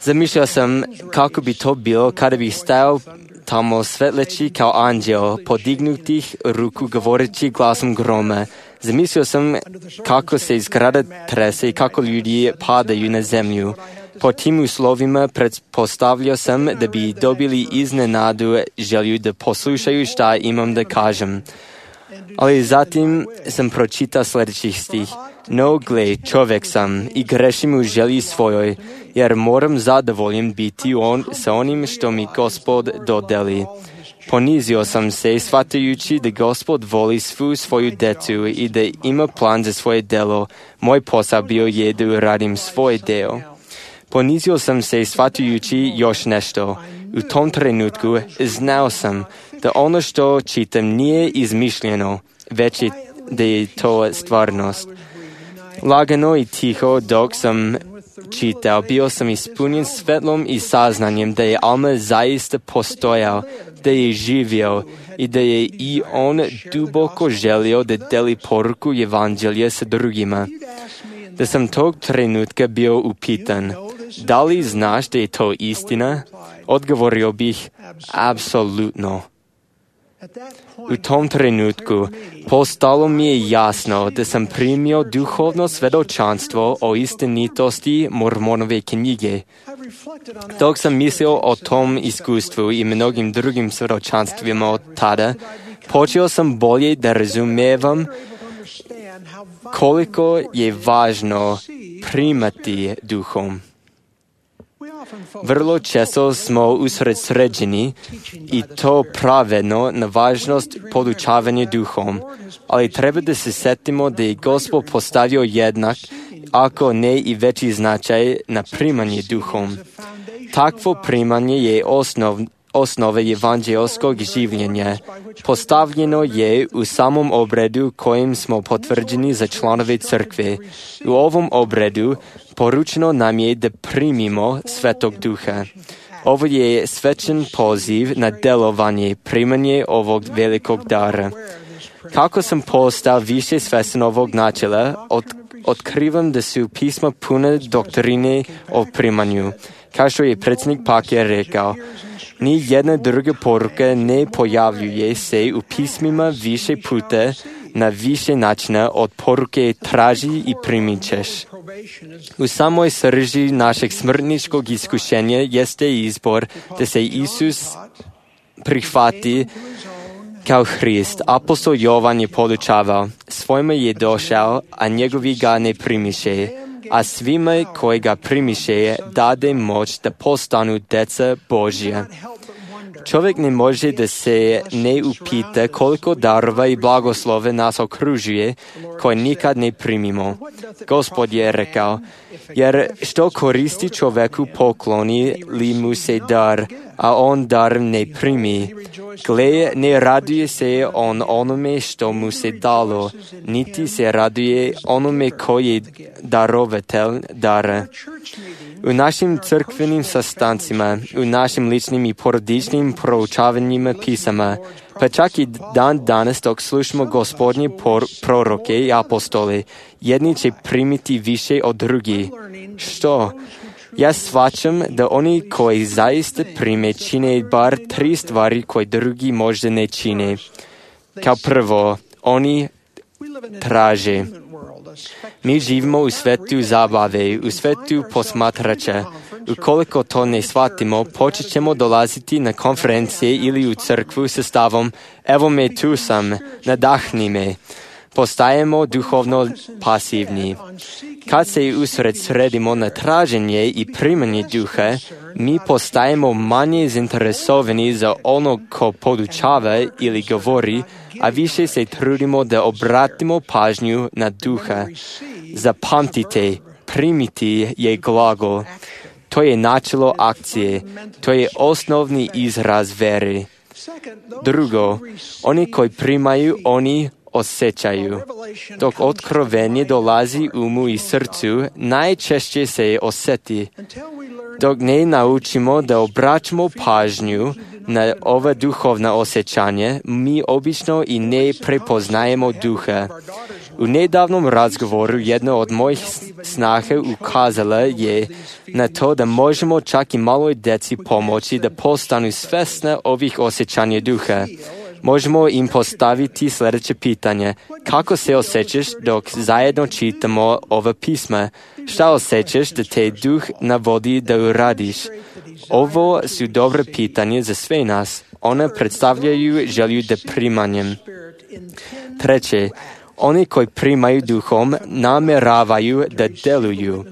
Zamišljao sam kako bi to bilo kada bih stajao tamo svetleći kao anđeo, podignutih ruku govoreći glasom groma. Zamislio sam kako se izgrada trese i kako ljudi padaju na zemlju. Po tim uslovima pretpostavljao sam da bi dobili iznenadu želju da poslušaju šta imam da kažem. Ali zatim sam pročitao sljedećih stih. No, gle, čovjek sam i grešim u želji svojoj, jer moram zadovoljen biti on, sa onim što mi Gospod dodeli. Ponizio sam se, shvatajući da Gospod voli svu svoju decu i da ima plan za svoje delo. Moj posao bio je da uradim svoj deo. Ponizio sam se, shvatajući još nešto. U tom trenutku znao sam da ono što čitam nije izmišljeno, već je da je to stvarnost. Lagano i tiho dok sam čitao, bio sam ispunjen svetlom i saznanjem da je Alma zaista postojao, da je živio i da je i on duboko želio da deli poruku evanđelja sa drugima. Da sam tog trenutka bio upitan, da li znaš da je to istina? Odgovorio bih, apsolutno. U tom trenutku postalo mi je jasno da sam primio duhovno svedočanstvo o istinitosti Mormonove knjige. Dok sam mislio o tom iskustvu i mnogim drugim svedočanstvima od tada, počeo sam bolje da razumevam koliko je važno primati duhom. Vrlo često smo usredsređeni i to pravedno na važnost podučavanja duhom, ali treba da se setimo da je Gospod postavio jednak, ako ne i veći značaj na primanje duhom. Takvo primanje je osnov, osnova evanđelskog življenja. Postavljeno je u samom obredu kojim smo potvrđeni za članove crkve. U ovom obredu poručeno nam je da primimo Svetog Duha. Ovo je svečan poziv na delovanje, primanje ovog velikog dara. Kako sam postao više svestan ovog načela, od, otkrivam da su pisma puna doktrine o primanju. Kao što je predsjednik Paker rekao, ni jedna druga poruka ne pojavljuje se u pismima više puta na više načina od poruke traži i primit ćeš. U samoj srži našeg smrtničkog iskušenja jeste izbor da se Isus prihvati kao Hrist. Apostol Jovan je podučavao, svojima je došao, a njegovi ga ne primiše, a svima koji ga primiše dade moć da postanu deca Božja. Čovjek ne može da se ne upita koliko darova i blagoslove nas okružuje koje nikad ne primimo. Gospod je rekao, jer što koristi čovjeku pokloni li mu se dar, a on dar ne primi. Gle, ne raduje se on onome što mu se dalo, niti se raduje onome koji je darovatelj dara. U našim crkvenim sastancima, u našim ličnim i porodičnim proučavanjima pisama, pa čak i dan danas dok slušamo Gospodnje por- proroke i apostole, jedni će primiti više od drugih. Što? Ja shvaćam da oni koji zaista prime čine bar tri stvari koje drugi možda ne čine. Kao prvo, oni traže. Mi živimo u svetu zabave, u svetu posmatrača. Ukoliko to ne shvatimo, počet ćemo dolaziti na konferencije ili u crkvu sa stavom evo me tu sam, nadahni me. Postajemo duhovno pasivni. Kad se usredsredimo na traženje i primanje duha, mi postajemo manje zainteresovani za onog ko podučava ili govori, a više se trudimo da obratimo pažnju na duha. Zapamtite, primiti je glagol. To je načelo akcije. To je osnovni izraz vere. Drugo, oni koji primaju, oni osjećaju. Dok otkrovenje dolazi umu i srcu, najčešće se osjeti. Dok ne naučimo da obraćamo pažnju na ova duhovna osjećanja, mi obično i ne prepoznajemo duha. U nedavnom razgovoru jedna od mojih snaha ukazala je na to da možemo čak i maloj djeci pomoći da postanu svesna ovih osjećanja duha. Možemo im postaviti sljedeće pitanje. Kako se osjećaš dok zajedno čitamo ova pisma? Šta osjećaš da te duh navodi da uradiš? Ovo su dobre pitanje za sve nas. One predstavljaju želju da primanjem. Treće, oni koji primaju duhom nameravaju da deluju.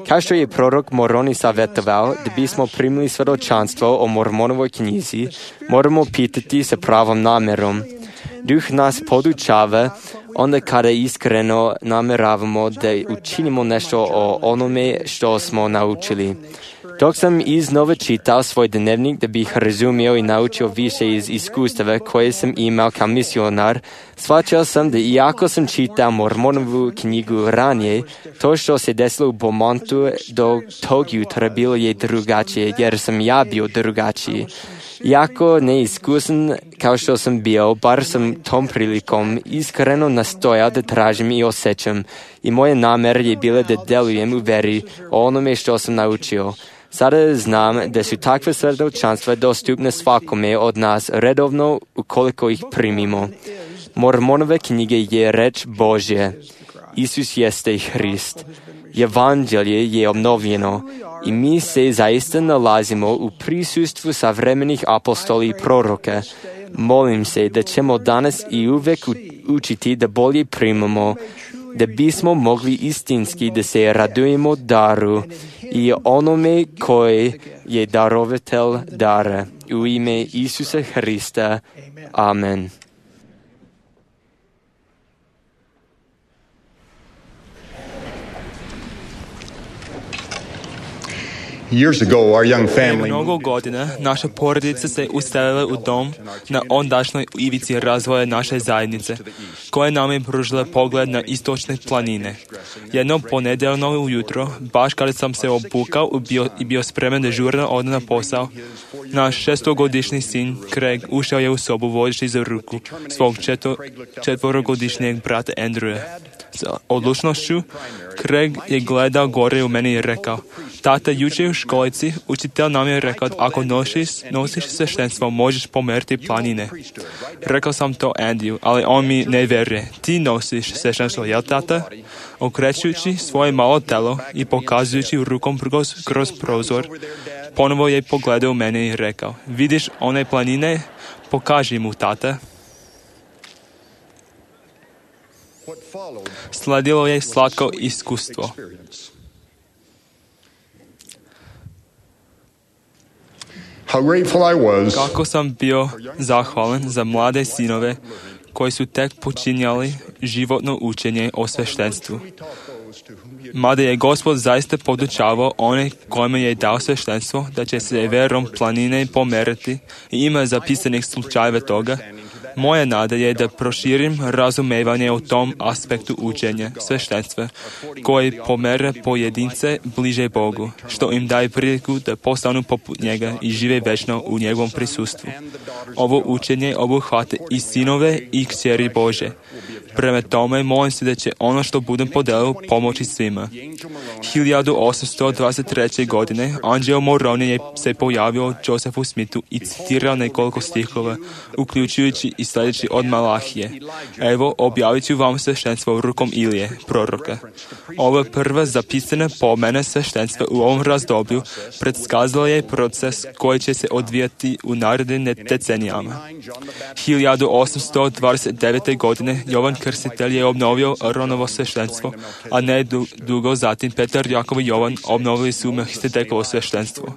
Kao što je prorok Moroni savjetovao da bismo primili svjedočanstvo o Mormonovoj knjizi, moramo pitati sa pravom namerom. Duh nas podučava onda kada iskreno nameravamo da učinimo nešto o onome što smo naučili. Dok sam iznova čitao svoj dnevnik da bih razumio i naučio više iz iskustava koje sam imao kao misionar, shvaćao sam da iako sam čitao Mormonovu knjigu ranije, to što se desilo u Beaumontu do tog jutra bilo je drugačije, jer sam ja bio drugačiji. Iako neiskusan kao što sam bio, bar sam tom prilikom iskreno nastojao da tražim i osjećam, i moja namjera je bila da delujem u veri o onome što sam naučio. Sada znam da su takve svjedočanstva dostupne svakome od nas redovno ukoliko ih primimo. Mormonove knjige je reč Božje. Isus jeste Hrist. Evanđelje je obnovljeno i mi se zaista nalazimo u prisustvu savremenih apostoli i proroka. Molim se da ćemo danas i uvek učiti da bolje primamo da bismo mogli istinski da se radujemo daru i onome koji je darovatelj dara. U ime Isusa Hrista. Amen. Years ago, our young family Mnogo godina naša porodica se uselila u dom na ondašnjoj ivici razvoja naše zajednice, koja nam je pružila pogled na istočne planine. Jedno ponedjeljno ujutro, baš kada sam se obukao i bio, i bio spreman da žurno ode na posao, naš šestogodišnji sin Craig ušao je u sobu vodeći za ruku svog četo, četvorogodišnjeg brata Andrewa. S odlučnošću, Craig je gledao gore u mene i rekao: "Tata, jučer u školici učitelj nam je rekao, ako nosiš, nosiš sveštenstvo, možeš pomeriti planine." Rekao sam to Andiju, ali on mi ne vjeruje. "Ti nosiš sveštenstvo, jel tata?" Okrećući svoje malo telo i pokazujući rukom kroz, kroz prozor, ponovo je pogledao u mene i rekao: "Vidiš one planine? Pokaži mu, tata." Sledilo je slatko iskustvo. Kako sam bio zahvalan za mlade sinove koji su tek počinjali životno učenje o sveštenstvu. Mada je Gospod zaista podučavao one kojima je dao sveštenstvo da će se verom planine pomerati i ima zapisanih slučajeva toga, moja nada je da proširim razumevanje o tom aspektu učenja sveštenstva koji pomere pojedince bliže Bogu, što im daje priliku da postanu poput njega i žive večno u njegovom prisustvu. Ovo učenje obuhvata i sinove i kćeri Bože. Prema tome, molim se da će ono što budem podelio pomoći svima. hiljadu osamsto dvadeset treće. godine anđeo Moroni je se pojavio Josephu Smithu i citirao nekoliko stihova, uključujući i sljedeći od Malahije: "Evo, objavit ću vam sveštenstvo rukom Ilije, proroka." Ova prva zapisana pomena sveštenstva u ovom razdoblju predskazala je proces koji će se odvijati u narednim decenijama. hiljadu osamsto dvadeset devete. godine Jovan Krstitelj je obnovio Aronovo sveštenstvo, a ne dugo zatim Petar, Jakov i Jovan obnovili su Melhisedekovo sveštenstvo.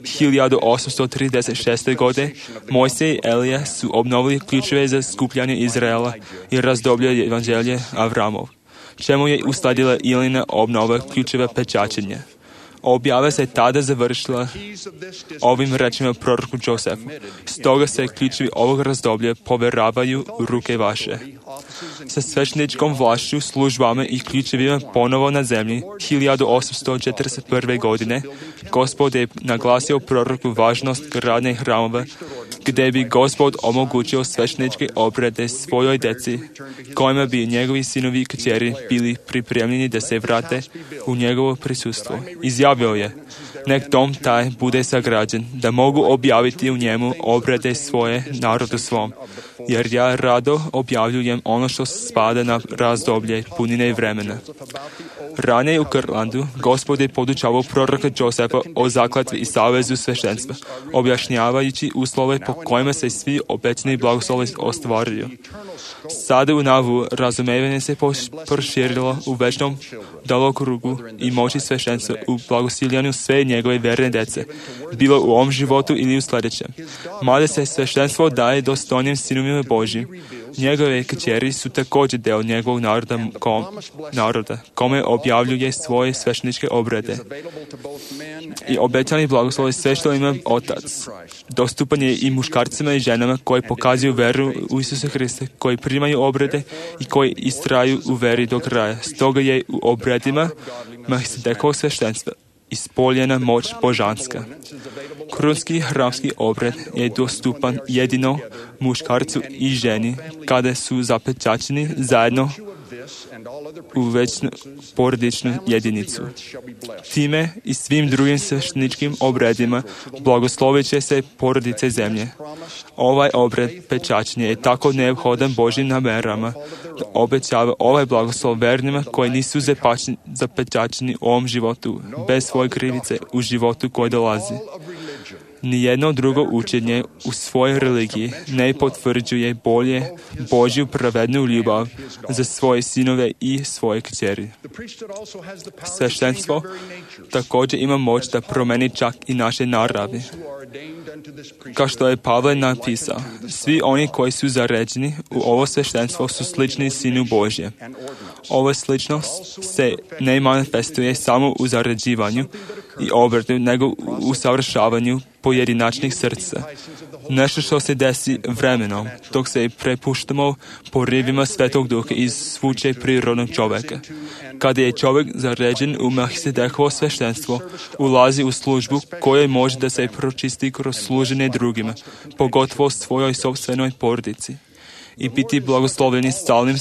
hiljadu osamsto trideset šeste. godine Mojsije i Elija su obnovili ključeve za skupljanje Izraela i razdoblje evanđelje Avramov, čemu je usledila Ilina obnova ključeva pečačenja. Objava se tada završila ovim rečima proroku Josefu: "Stoga se ključevi ovog razdoblja poveravaju u ruke vaše." Sa svešteničkom vlašću, službama i ključevima ponovo na zemlji, hiljadu osamsto četrdeset prve. godine, Gospod je naglasio proroku važnost gradnje hramova, gdje bi Gospod omogućio svešteničke obrede svojoj deci, kojima bi njegovi sinovi i kćeri bili pripremljeni da se vrate u njegovo prisustvo. Izjavio je: "Nek dom taj bude sagrađen, da mogu objaviti u njemu obrede svoje narodu svom, jer ja rado objavljujem ono što spada na razdoblje punine vremena." Ranije u Kirtlandu Gospod je podučavao proroka Josefa o zakletvi i savezu sveštenstva, objašnjavajući uslove po kojima se svi obećani blagoslovi ostvaruju. Sada u Navu razumevanje se proširilo u večnom dalokrugu i moći sveštenstva u blagosiljanju sve njegove verne dece, bilo u ovom životu ili u sljedećem. Mada se sveštenstvo daje dostojnim sinovima Božjim, njegove kćeri su također deo njegovog naroda, kom, naroda kome objavljuje svoje svešteničke obrede. I obećani blagoslov sve što ima Otac. Dostupan je i muškarcima i ženama koji pokazuju veru u Isusa Hrista, koji primaju obrede i koji istraju u veri do kraja. Stoga je u obredima Melhisedekovog sveštenstva ispoljena moć božanska. Krunski hramski obred je dostupan jedino muškarcu i ženi kada su zapečaćeni zajedno u večnu porodičnu jedinicu. Time i svim drugim svešteničkim obredima blagoslovit će se porodice zemlje. Ovaj obred pečaćenja je tako neophodan Božjim namerama da obećava ovaj blagoslov vernima koji nisu zapečaćeni u ovom životu, bez svoje krivice u životu koji dolazi. Nijedno drugo učenje u svojoj religiji ne potvrđuje bolje Božju pravednu ljubav za svoje sinove i svoje kćeri. Sveštenstvo također ima moć da promeni čak i naše naravi. Kao što je Pavle napisao, svi oni koji su zaređeni u ovo sveštenstvo su slični Sinu Božje. Ova sličnost se ne manifestuje samo u zaređivanju i obrtu, nego u usavršavanju pojedinačnih srca. Nešto što se desi vremenom, dok se prepuštamo porivima Svetog Duha iz svuče prirodnog čovjeka. Kada je čovjek zaređen u Melhisedekovo sveštenstvo, ulazi u službu koja može da se pročisti kroz služenje drugima, pogotovo svojoj sopstvenoj porodici, i biti blagoslovljeni stalnim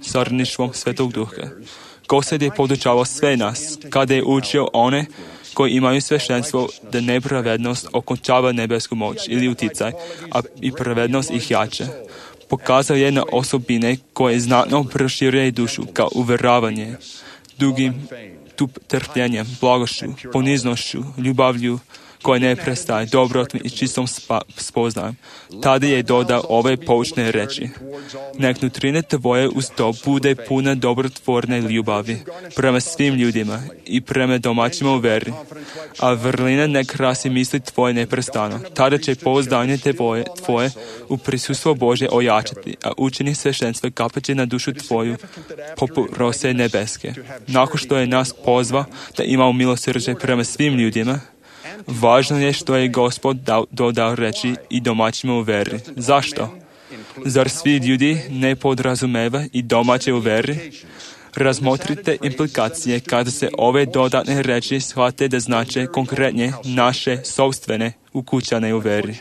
sarništvom Svetog Duha. Gospod je podučavao sve nas, kada je učio one koji imaju sveštenstvo da nepravednost okončava nebesku moć ili uticaj, a i pravednost ih jače. Pokazao je na osobine koje znatno proširuje dušu, kao uveravanje, dugim tup trpljenjem, blagošću, poniznošću, ljubavlju, koje ne prestaje, dobrotom i čistom spa, spoznajem. Tada je dodao ove poučne reči. Nek nutrina tvoje uz to bude puna dobrotvorne ljubavi prema svim ljudima i prema domaćima u veri, a vrlina nek krasi misli tvoje neprestano. Tada će pouzdanje tvoje, tvoje u prisustvo Božje ojačati, a učenje sveštenstva kapaće na dušu tvoju poput rose nebeske. Nakon što je nas pozva da imamo milosrđe prema svim ljudima, važno je što je Gospod dao, dodao reći i domaćima u veri. Zašto? Zar svi ljudi ne podrazumeva i domaće u veri? Razmotrite implikacije kada se ove dodatne reči shvate da znače konkretnije naše sopstvene ukućane u veri.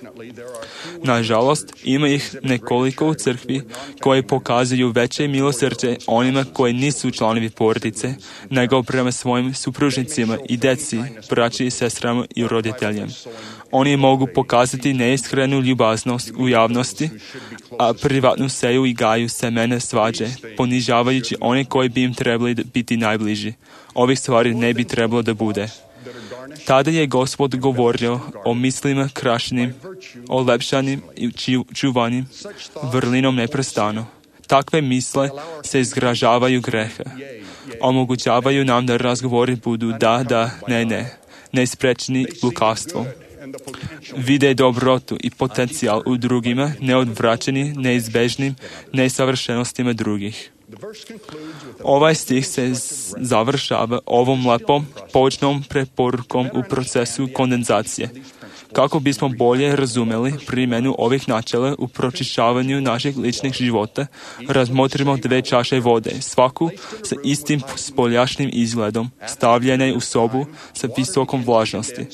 Nažalost, ima ih nekoliko u crkvi koje pokazuju veće milosrđe onima koji nisu članovi porodice, nego prema svojim supružnicima i deci, braći i sestrama i roditeljima. Oni mogu pokazati neiskrenu ljubaznost u javnosti, a privatno seju i gaju semene svađe, ponižavajući one koji bi im trebali biti najbliži. Ovih stvari ne bi trebalo da bude. Tada je Gospod govorio o mislima krašenim, olepšanim i čuvanim, vrlinom neprestano. Takve misle se izgražavaju greha. Omogućavaju nam da razgovori budu da, da, ne, ne, neisprečni lukavstvom. Vide dobrotu i potencijal u drugima, neodvraćeni neizbežnim nesavršenostima drugih. Ovaj stih se završava ovom lepom poučnom preporukom u procesu kondenzacije. Kako bismo bolje razumeli primjenu ovih načela u pročišćavanju naših ličnih života, razmotrimo dve čaše vode, svaku sa istim spoljašnjim izgledom, stavljene u sobu sa visokom vlažnosti.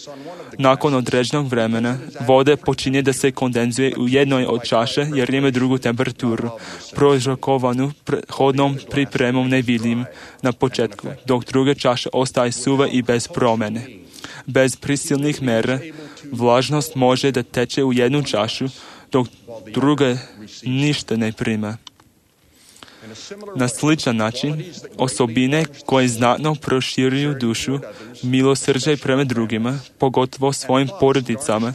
Nakon određenog vremena, voda počinje da se kondenzuje u jednoj od čaše jer ima drugu temperaturu, prouzrokovanu prethodnom pripremom nevidljivim na početku, dok druga čaša ostaje suva i bez promjene. Bez prisilnih mera, vlažnost može da teče u jednu čašu, dok druga ništa ne prima. Na sličan način, osobine koje znatno proširuju dušu, milosrđe prema drugima, pogotovo svojim porodicama,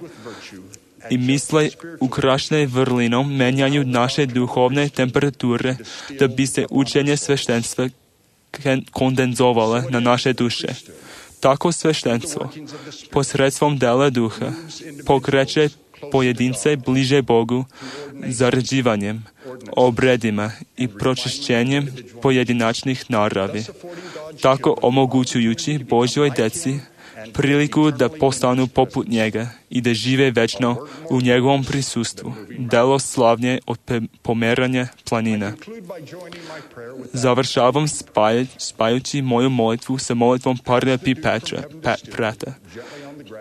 i misle ukrašene vrlinom menjaju naše duhovne temperature da bi se učenje sveštenstva kondenzovale na naše duše. Tako sveštenstvo, posredstvom dela duha, pokreće pojedince bliže Bogu zaređivanjem, obredima i pročišćenjem pojedinačnih naravi, tako omogućujući Božjoj deci priliku da postanu poput njega i da žive večno u njegovom prisustvu, delo slavnje od pomeranja planina. Završavam spaj, spajući moju molitvu sa molitvom Parnapi Petra, Prata.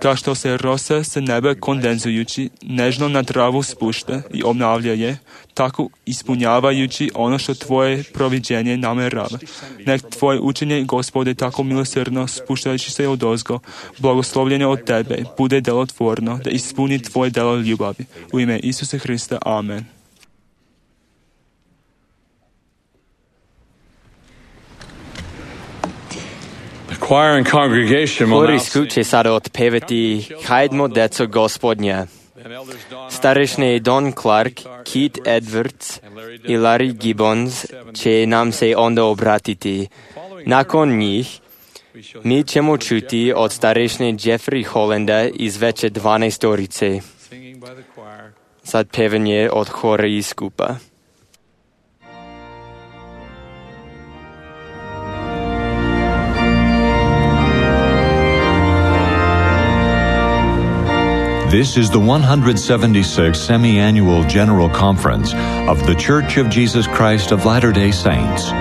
Kao što se rosa sa neba kondenzujući nežno na travu spušta i obnavlja je, tako ispunjavajući ono što tvoje proviđenje namerava. Nek tvoje učenje, Gospode, tako milosrdno spuštajući se odozgo, blagoslovljenje od tebe, bude delotvorno, da ispuni tvoje delo ljubavi. U ime Isusa Hrista. Amen. choir and congregation will Hor now i skup će sada otpevati Hajdmo, deco Gospodnja. Starešni Don Clark, Keith Edwards i Larry Gibbons će nam se onda obratiti. Nakon njih, mi ćemo čuti od starešne Jeffrey Hollanda iz veće dvanaestorice. Sad pevanje od hora i skupa. This is the one hundred seventy-sixth Semi-Annual General Conference of The Church of Jesus Christ of Latter-day Saints.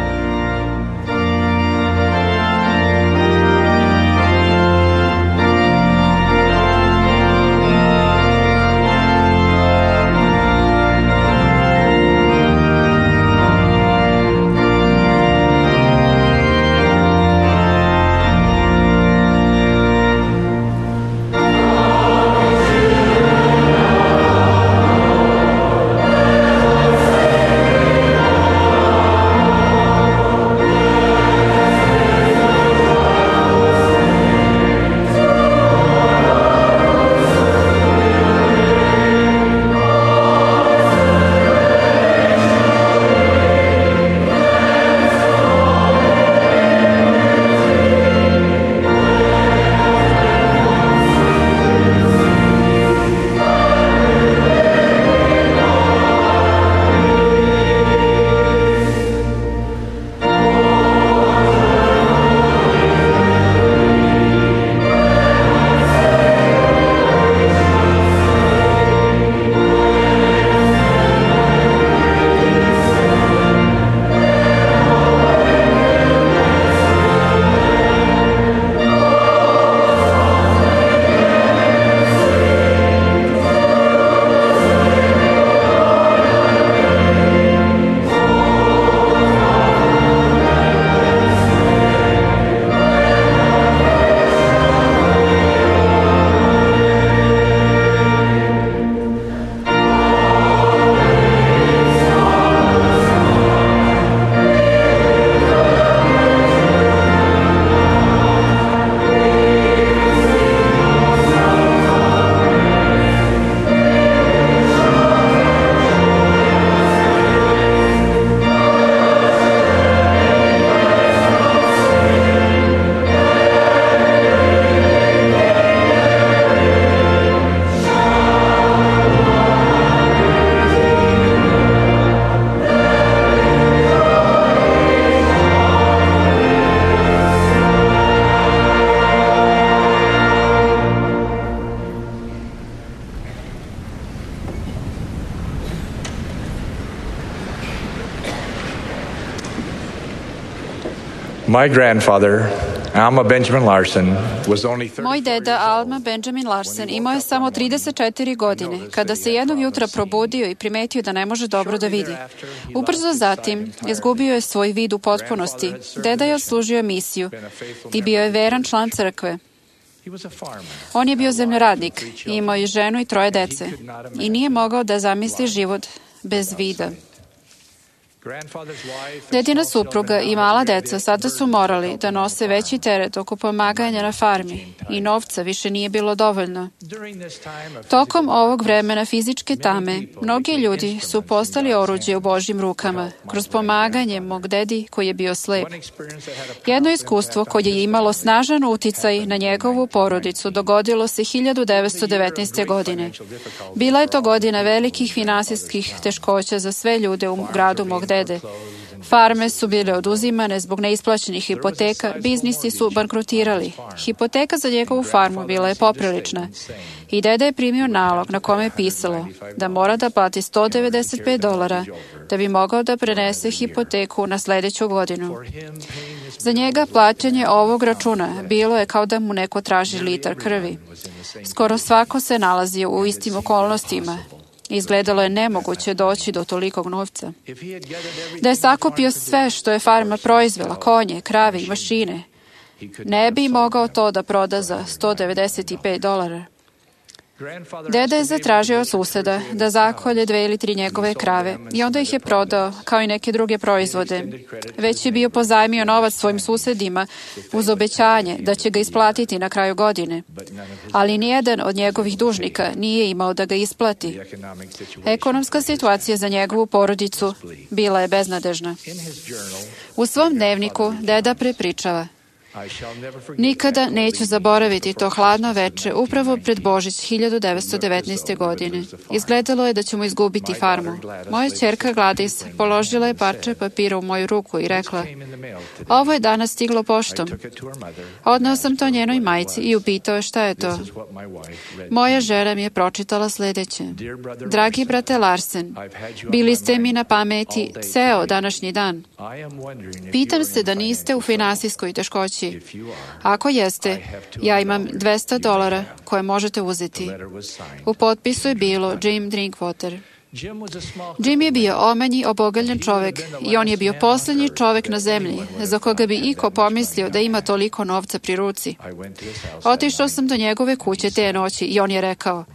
My grandfather, Alma Benjamin Larson, was only Moj deda Alma Benjamin Larson imao je samo trideset četiri godine kada se jednog jutra probudio i primetio da ne može dobro da vidi. Ubrzo zatim izgubio je svoj vid u potpunosti. Deda je odslužio misiju i bio je veran član crkve. On je bio zemljoradnik i imao je ženu i troje dece i nije mogao da zamisli život bez vida. Dedina supruga i mala deca sada su morali da nose veći teret oko pomaganja na farmi i novca više nije bilo dovoljno. Tokom ovog vremena fizičke tame, mnogi ljudi su postali oruđe u Božjim rukama kroz pomaganje mog dedi koji je bio slep. Jedno iskustvo koje je imalo snažan uticaj na njegovu porodicu dogodilo se hiljadu devetsto devetnaeste. godine. Bila je to godina velikih finansijskih teškoća za sve ljude u gradu mog dede. Farme su bile oduzimane zbog neisplaćenih hipoteka, biznisi su bankrotirali. Hipoteka za njegovu farmu bila je poprilična i deda je primio nalog na kome je pisalo da mora da plati sto devedeset pet dolara da bi mogao da prenese hipoteku na sledeću godinu. Za njega plaćanje ovog računa bilo je kao da mu neko traži litar krvi. Skoro svako se nalazio u istim okolnostima. Izgledalo je nemoguće doći do tolikog novca. Da je sakupio sve što je farma proizvela, konje, krave i mašine, ne bi mogao to da proda za sto devedeset pet dolara. Deda je zatražio od suseda da zakolje dve ili tri njegove krave i onda ih je prodao kao i neke druge proizvode. Već je bio pozajmio novac svojim susedima uz obećanje da će ga isplatiti na kraju godine, ali nijedan od njegovih dužnika nije imao da ga isplati. Ekonomska situacija za njegovu porodicu bila je beznadežna. U svom dnevniku deda prepričava: nikada neću zaboraviti to hladno veče upravo pred Božić hiljadu devetsto devetnaeste. godine. Izgledalo je da ćemo izgubiti farmu. Moja ćerka Gladys položila je parče papira u moju ruku i rekla: ovo je danas stiglo poštom. Odneo sam to njenoj majci i upitao je šta je to. Moja žena mi je pročitala sledeće: dragi brate Larsen, bili ste mi na pameti ceo današnji dan. Pitam se da niste u finansijskoj teškoći. Ako jeste, ja imam dvesta dolara koje možete uzeti. U potpisu je bilo Jim Drinkwater. Jim je bio omanji, obogaljen čovek i on je bio poslednji čovek na zemlji za koga bi iko pomislio da ima toliko novca pri ruci. Otišao sam do njegove kuće te noći i on je rekao: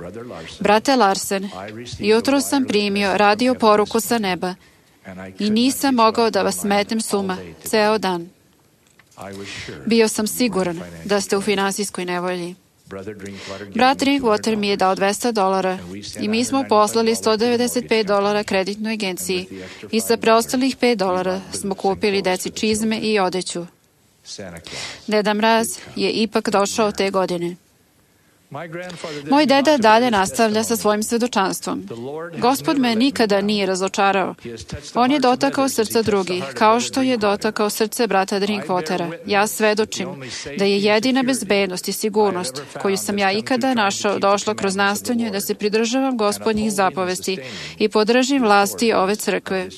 brate Larsen, jutro sam primio radio poruku sa neba i nisam mogao da vas metnem s uma ceo dan. Bio sam siguran da ste u finansijskoj nevolji. Brat Drinkwater mi je dao dvesta dolara i mi smo poslali sto devedeset pet dolara kreditnoj agenciji i sa preostalih pet dolara smo kupili deci čizme i odeću. Deda Mraz je ipak došao te godine. Moj deda dalje nastavlja sa svojim svedočanstvom. Gospod me nikada nije razočarao. On je dotakao srca drugih, kao što je dotakao srce brata Drinkwatera. Ja svedočim da je jedina bezbednost i sigurnost koju sam ja ikada našao došla kroz nastojanje da se pridržavam Gospodnjih zapovesti i podržim vlasti ove crkve.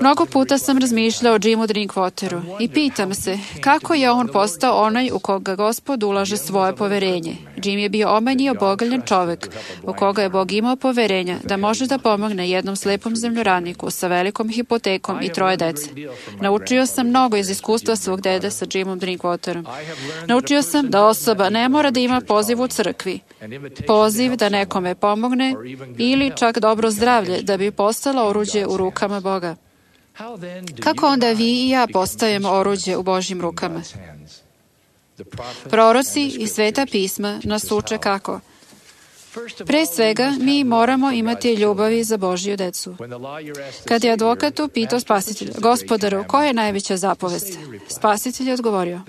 Mnogo puta sam razmišljao o Jimu Drinkwateru i pitam se kako je on postao onaj u koga Gospod ulaže svoje poverenje. Jim je bio omanji i obogaljen čovek u koga je Bog imao poverenja da može da pomogne jednom slepom zemljoradniku sa velikom hipotekom i troje dece. Naučio sam mnogo iz iskustva svog dede sa Jimom Drinkwaterom. Naučio sam da osoba ne mora da ima poziv u crkvi, poziv da nekome pomogne ili čak dobro zdravlje da bi postala oruđe u rukama Boga. Kako onda vi i ja postajemo oruđe u Božjim rukama? Proroci i Sveta pisma nas uče kako. Pre svega, mi moramo imati ljubavi za Božju decu. Kad je advokat upitao spasitelja: Gospodaru, koja je najveća zapovest? Spasitelj je odgovorio: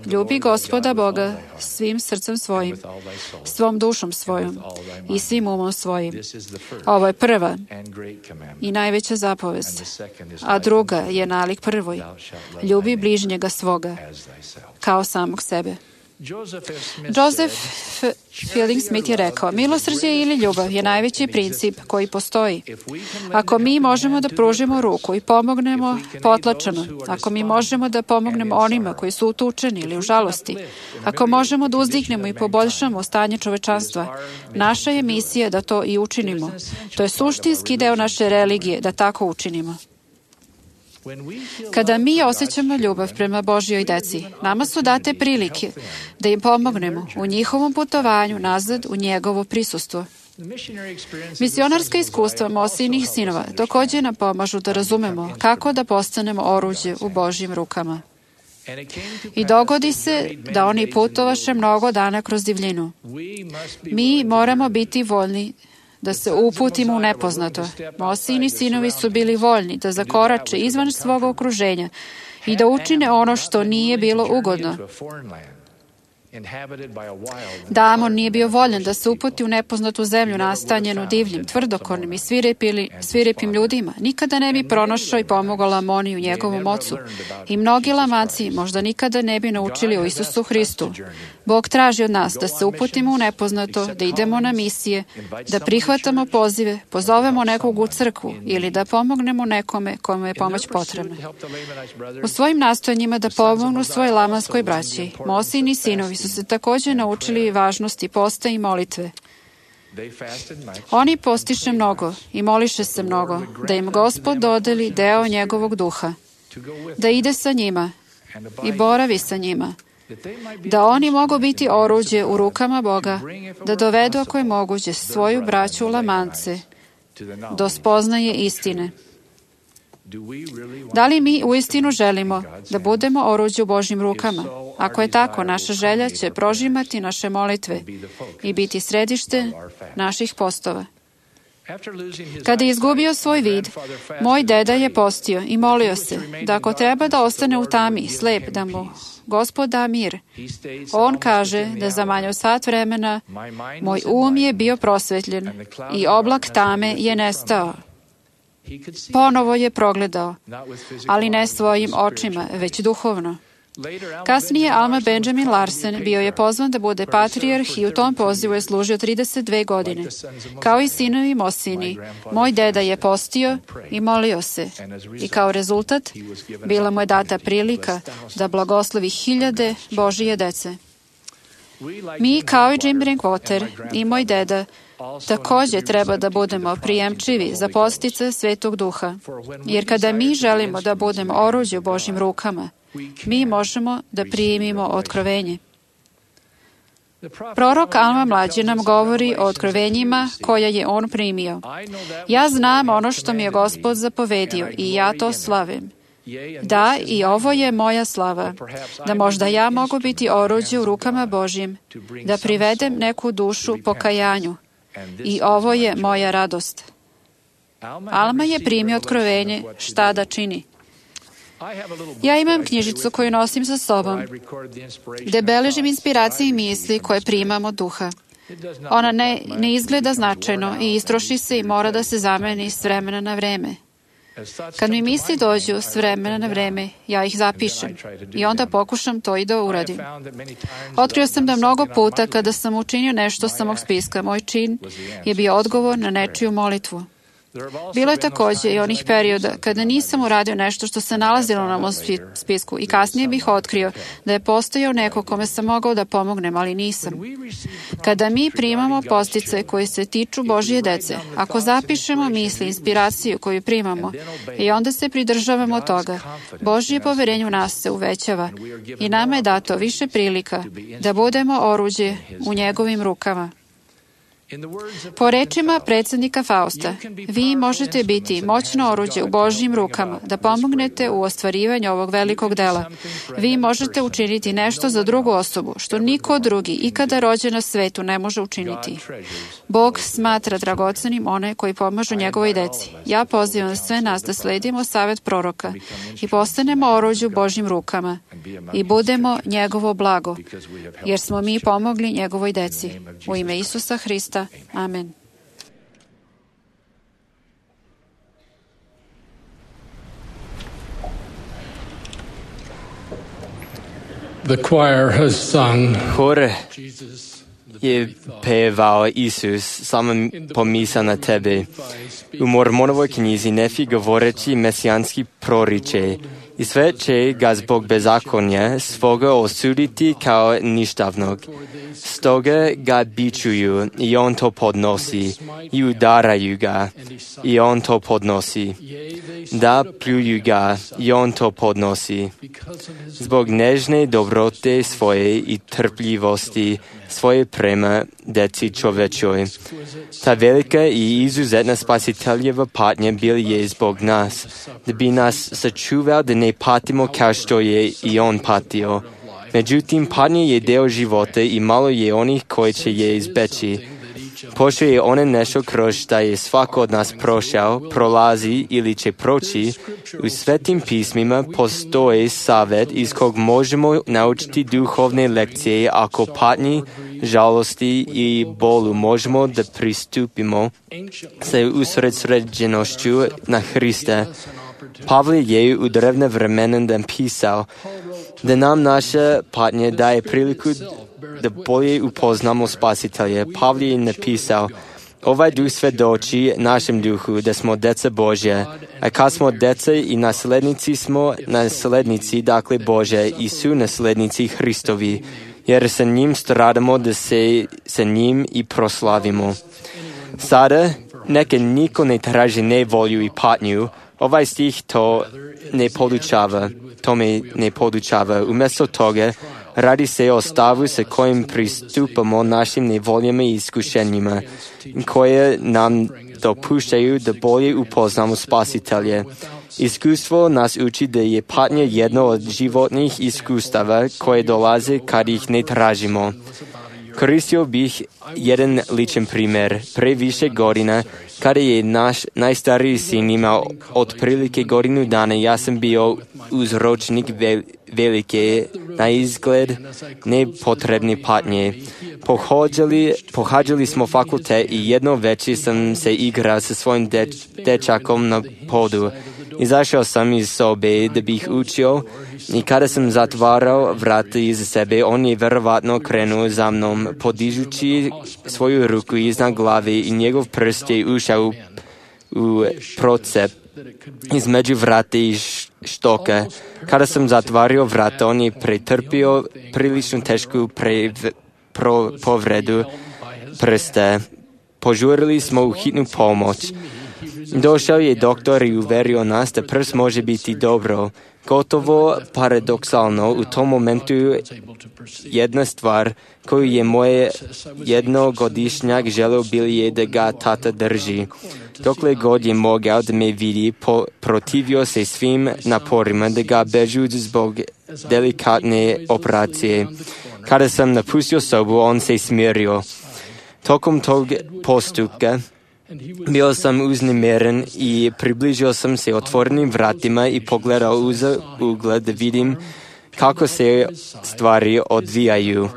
ljubi Gospoda Boga svim srcem svojim, svom dušom svojom i svim umom svojim. Ovo je prva i najveća zapovest, a druga je nalik prvoj: ljubi bližnjega svoga kao samog sebe. Joseph Fielding Smith je rekao: milosrđe ili ljubav je najveći princip koji postoji. Ako mi možemo da pružimo ruku i pomognemo potlačeno, ako mi možemo da pomognemo onima koji su utučeni ili u žalosti, ako možemo da uzdignemo i poboljšamo stanje čovečanstva, naša je misija da to i učinimo. To je suštinski deo naše religije da tako učinimo. Kada mi osjećamo ljubav prema Božjoj deci, nama su date prilike da im pomognemo u njihovom putovanju nazad u njegovo prisustvo. Misionarska iskustva Mosijinih sinova također nam pomažu da razumemo kako da postanemo oruđe u Božjim rukama. I dogodi se da oni putovaše mnogo dana kroz divljinu. Mi moramo biti voljni da se uputimo u nepoznato. Mosijini sinovi su bili voljni da zakorače izvan svog okruženja i da učine ono što nije bilo ugodno. Damon nije bio voljan da se uputi u nepoznatu zemlju nastanjenu divljim, tvrdokornim i svirepili, svirepim ljudima. Nikada ne bi pronašao i pomogao Lamoni u njegovom ocu. I mnogi Lamaci možda nikada ne bi naučili o Isusu Hristu. Bog traži od nas da se uputimo u nepoznato, da idemo na misije, da prihvatamo pozive, pozovemo nekog u crkvu ili da pomognemo nekome kome je pomoć potrebna. U svojim nastojanjima da pomognu svoj lamanskoj braći, Mosijini sinovi su se također naučili važnosti posta i molitve. Oni postiše mnogo i moliše se mnogo, da im Gospod dodeli deo njegovog duha, da ide sa njima i boravi sa njima, da oni mogu biti oruđe u rukama Boga, da dovedu, ako je moguće, svoju braću u lamance do spoznaje istine. Da li mi uistinu želimo da budemo oruđe u Božjim rukama? Ako je tako, naša želja će prožimati naše molitve i biti središte naših postova. Kada je izgubio svoj vid, moj deda je postio i molio se da ako treba da ostane u tami, slep, da mu Gospod da mir. On kaže da za manje od sat vremena moj um je bio prosvetljen i oblak tame je nestao. Ponovo je progledao, ali ne svojim očima, već duhovno. Kasnije Alma Benjamin Larsen bio je pozvan da bude patrijarh i u tom pozivu je služio trideset dve godine. Kao i sinovi Mosini, moj deda je postio i molio se. I kao rezultat, bila mu je data prilika da blagoslovi hiljade Božije dece. Mi, kao i Jim Drinkwater i moj deda, također treba da budemo prijemčivi za postice Svetog Duha, jer kada mi želimo da budemo oruđe u Božjim rukama, mi možemo da primimo otkrovenje. Prorok Alma Mlađi nam govori o otkrovenjima koja je on primio. Ja znam ono što mi je Gospod zapovedio i ja to slavim. Da, i ovo je moja slava, da možda ja mogu biti oruđe u rukama Božjim, da privedem neku dušu pokajanju. I ovo je moja radost. Alma je primio otkrovenje šta da čini. Ja imam knjižicu koju nosim sa sobom, gde beležim inspiracije i misli koje primam od Duha. Ona ne, ne izgleda značajno i istroši se i mora da se zameni s vremena na vreme. Kad mi misli dođu s vremena na vreme, ja ih zapišem i onda pokušam to i da uradim. Otkrio sam da mnogo puta kada sam učinio nešto sa mog spiska, moj čin je bio odgovor na nečiju molitvu. Bilo je također i onih perioda kada nisam uradio nešto što se nalazilo na mom spisku i kasnije bih otkrio da je postojao neko kome sam mogao da pomognem, ali nisam. Kada mi primamo postice koji se tiču Božje dece, ako zapišemo misli, inspiraciju koju primamo i onda se pridržavamo toga, Božje poverenje u nas se uvećava i nama je dato više prilika da budemo oruđe u njegovim rukama. Po rečima predsjednika Fausta, vi možete biti moćno oruđe u Božjim rukama da pomognete u ostvarivanju ovog velikog dela. Vi možete učiniti nešto za drugu osobu, što niko drugi ikada rođen na svetu ne može učiniti. Bog smatra dragocenim one koji pomažu njegovoj deci. Ja pozivam sve nas da sledimo savjet proroka i postanemo oruđe u Božjim rukama i budemo njegovo blago, jer smo mi pomogli njegovoj deci. U ime Isusa Hrista. Amen. The choir has sung. Hor je pevao Isus, samo pomisao na tebe. U Mormonovoj knjizi Nefi govoreći mesijanski proriče i sve će ga zbog bezakonja svoga osuditi kao ništavnog. Stoga ga bičuju i on to podnosi i udaraju ga i on to podnosi. Da, pljuju ga i on to podnosi. Zbog nežne dobrote svoje i trpljivosti svoje prema deci čovečoj. Ta velika i izuzetna spasiteljeva patnja bila je zbog nas, da bi nas sačuvao da ne patimo kao što je i on patio. Međutim, patnja je deo života i malo je onih koji će je izbeći. Pošto je ona nešto kroz šta je svako od nas prošao, prolazi ili će proći, u Svetim pismima postoji savjet iz kog možemo naučiti duhovne lekcije ako patnji, žalosti i bolu možemo da pristupimo sa usredsređenošću na Hrista. Pavle je u drevne vremena napisao da nam naša patnja daje priliku da bolje upoznamo Spasitelja. Pavle je napisao, ovaj duh svedoči našem duhu da smo deca Božja, a kad smo deca i naslednici smo naslednici, dakle Božja, i su naslednici Hristovi, jer sa njim stradamo da se sa njim i proslavimo. Sada, neka niko ne traži nevolju i patnju, ovaj stih to ne podučava, to me ne podučava. Umjesto toga, Radi se o stavu sa kojim pristupamo našim nevoljama i iskušenjima, koje nam dopuštaju da bolje upoznamo Spasitelje. Iskustvo nas uči da je patnja jedno od životnih iskustava koje dolaze kad ih ne tražimo. Koristio bih jedan ličan primjer. Pre više godina, kada je naš najstariji sin imao otprilike godinu dana, ja sam bio uzročnik velike, na izgled nepotrebne patnje. Pohađali, pohađali smo fakultet i jedno večer sam se igrao sa svojim deč, dečakom na podu. Izašao sam iz sobe da bih učio i kada sam zatvarao vrata iza sebe, on je verovatno krenuo za mnom, podižući svoju ruku iznad glave i njegov prst je ušao u, u procep između vrata i štoka. Kada sam zatvario vrata, on je pretrpio prilično tešku pre, pro, povredu prsta. Požurili smo u hitnu pomoć. Došao je doktor i uverio nas da prst može biti dobro. Gotovo paradoksalno, u tom momentu jedna stvar koju je moj jednogodišnjak želeo bili je da ga tata drži. Dokle god je mogao da me vidi, po, protivio se svim naporima da ga bežu zbog delikatne operacije. Kada sam napustio sobu, on se smirio. Tokom tog postupka bio sam uznemiren i približio sam se otvorenim vratima i pogledao uz ugled da vidim kako se stvari odvijaju.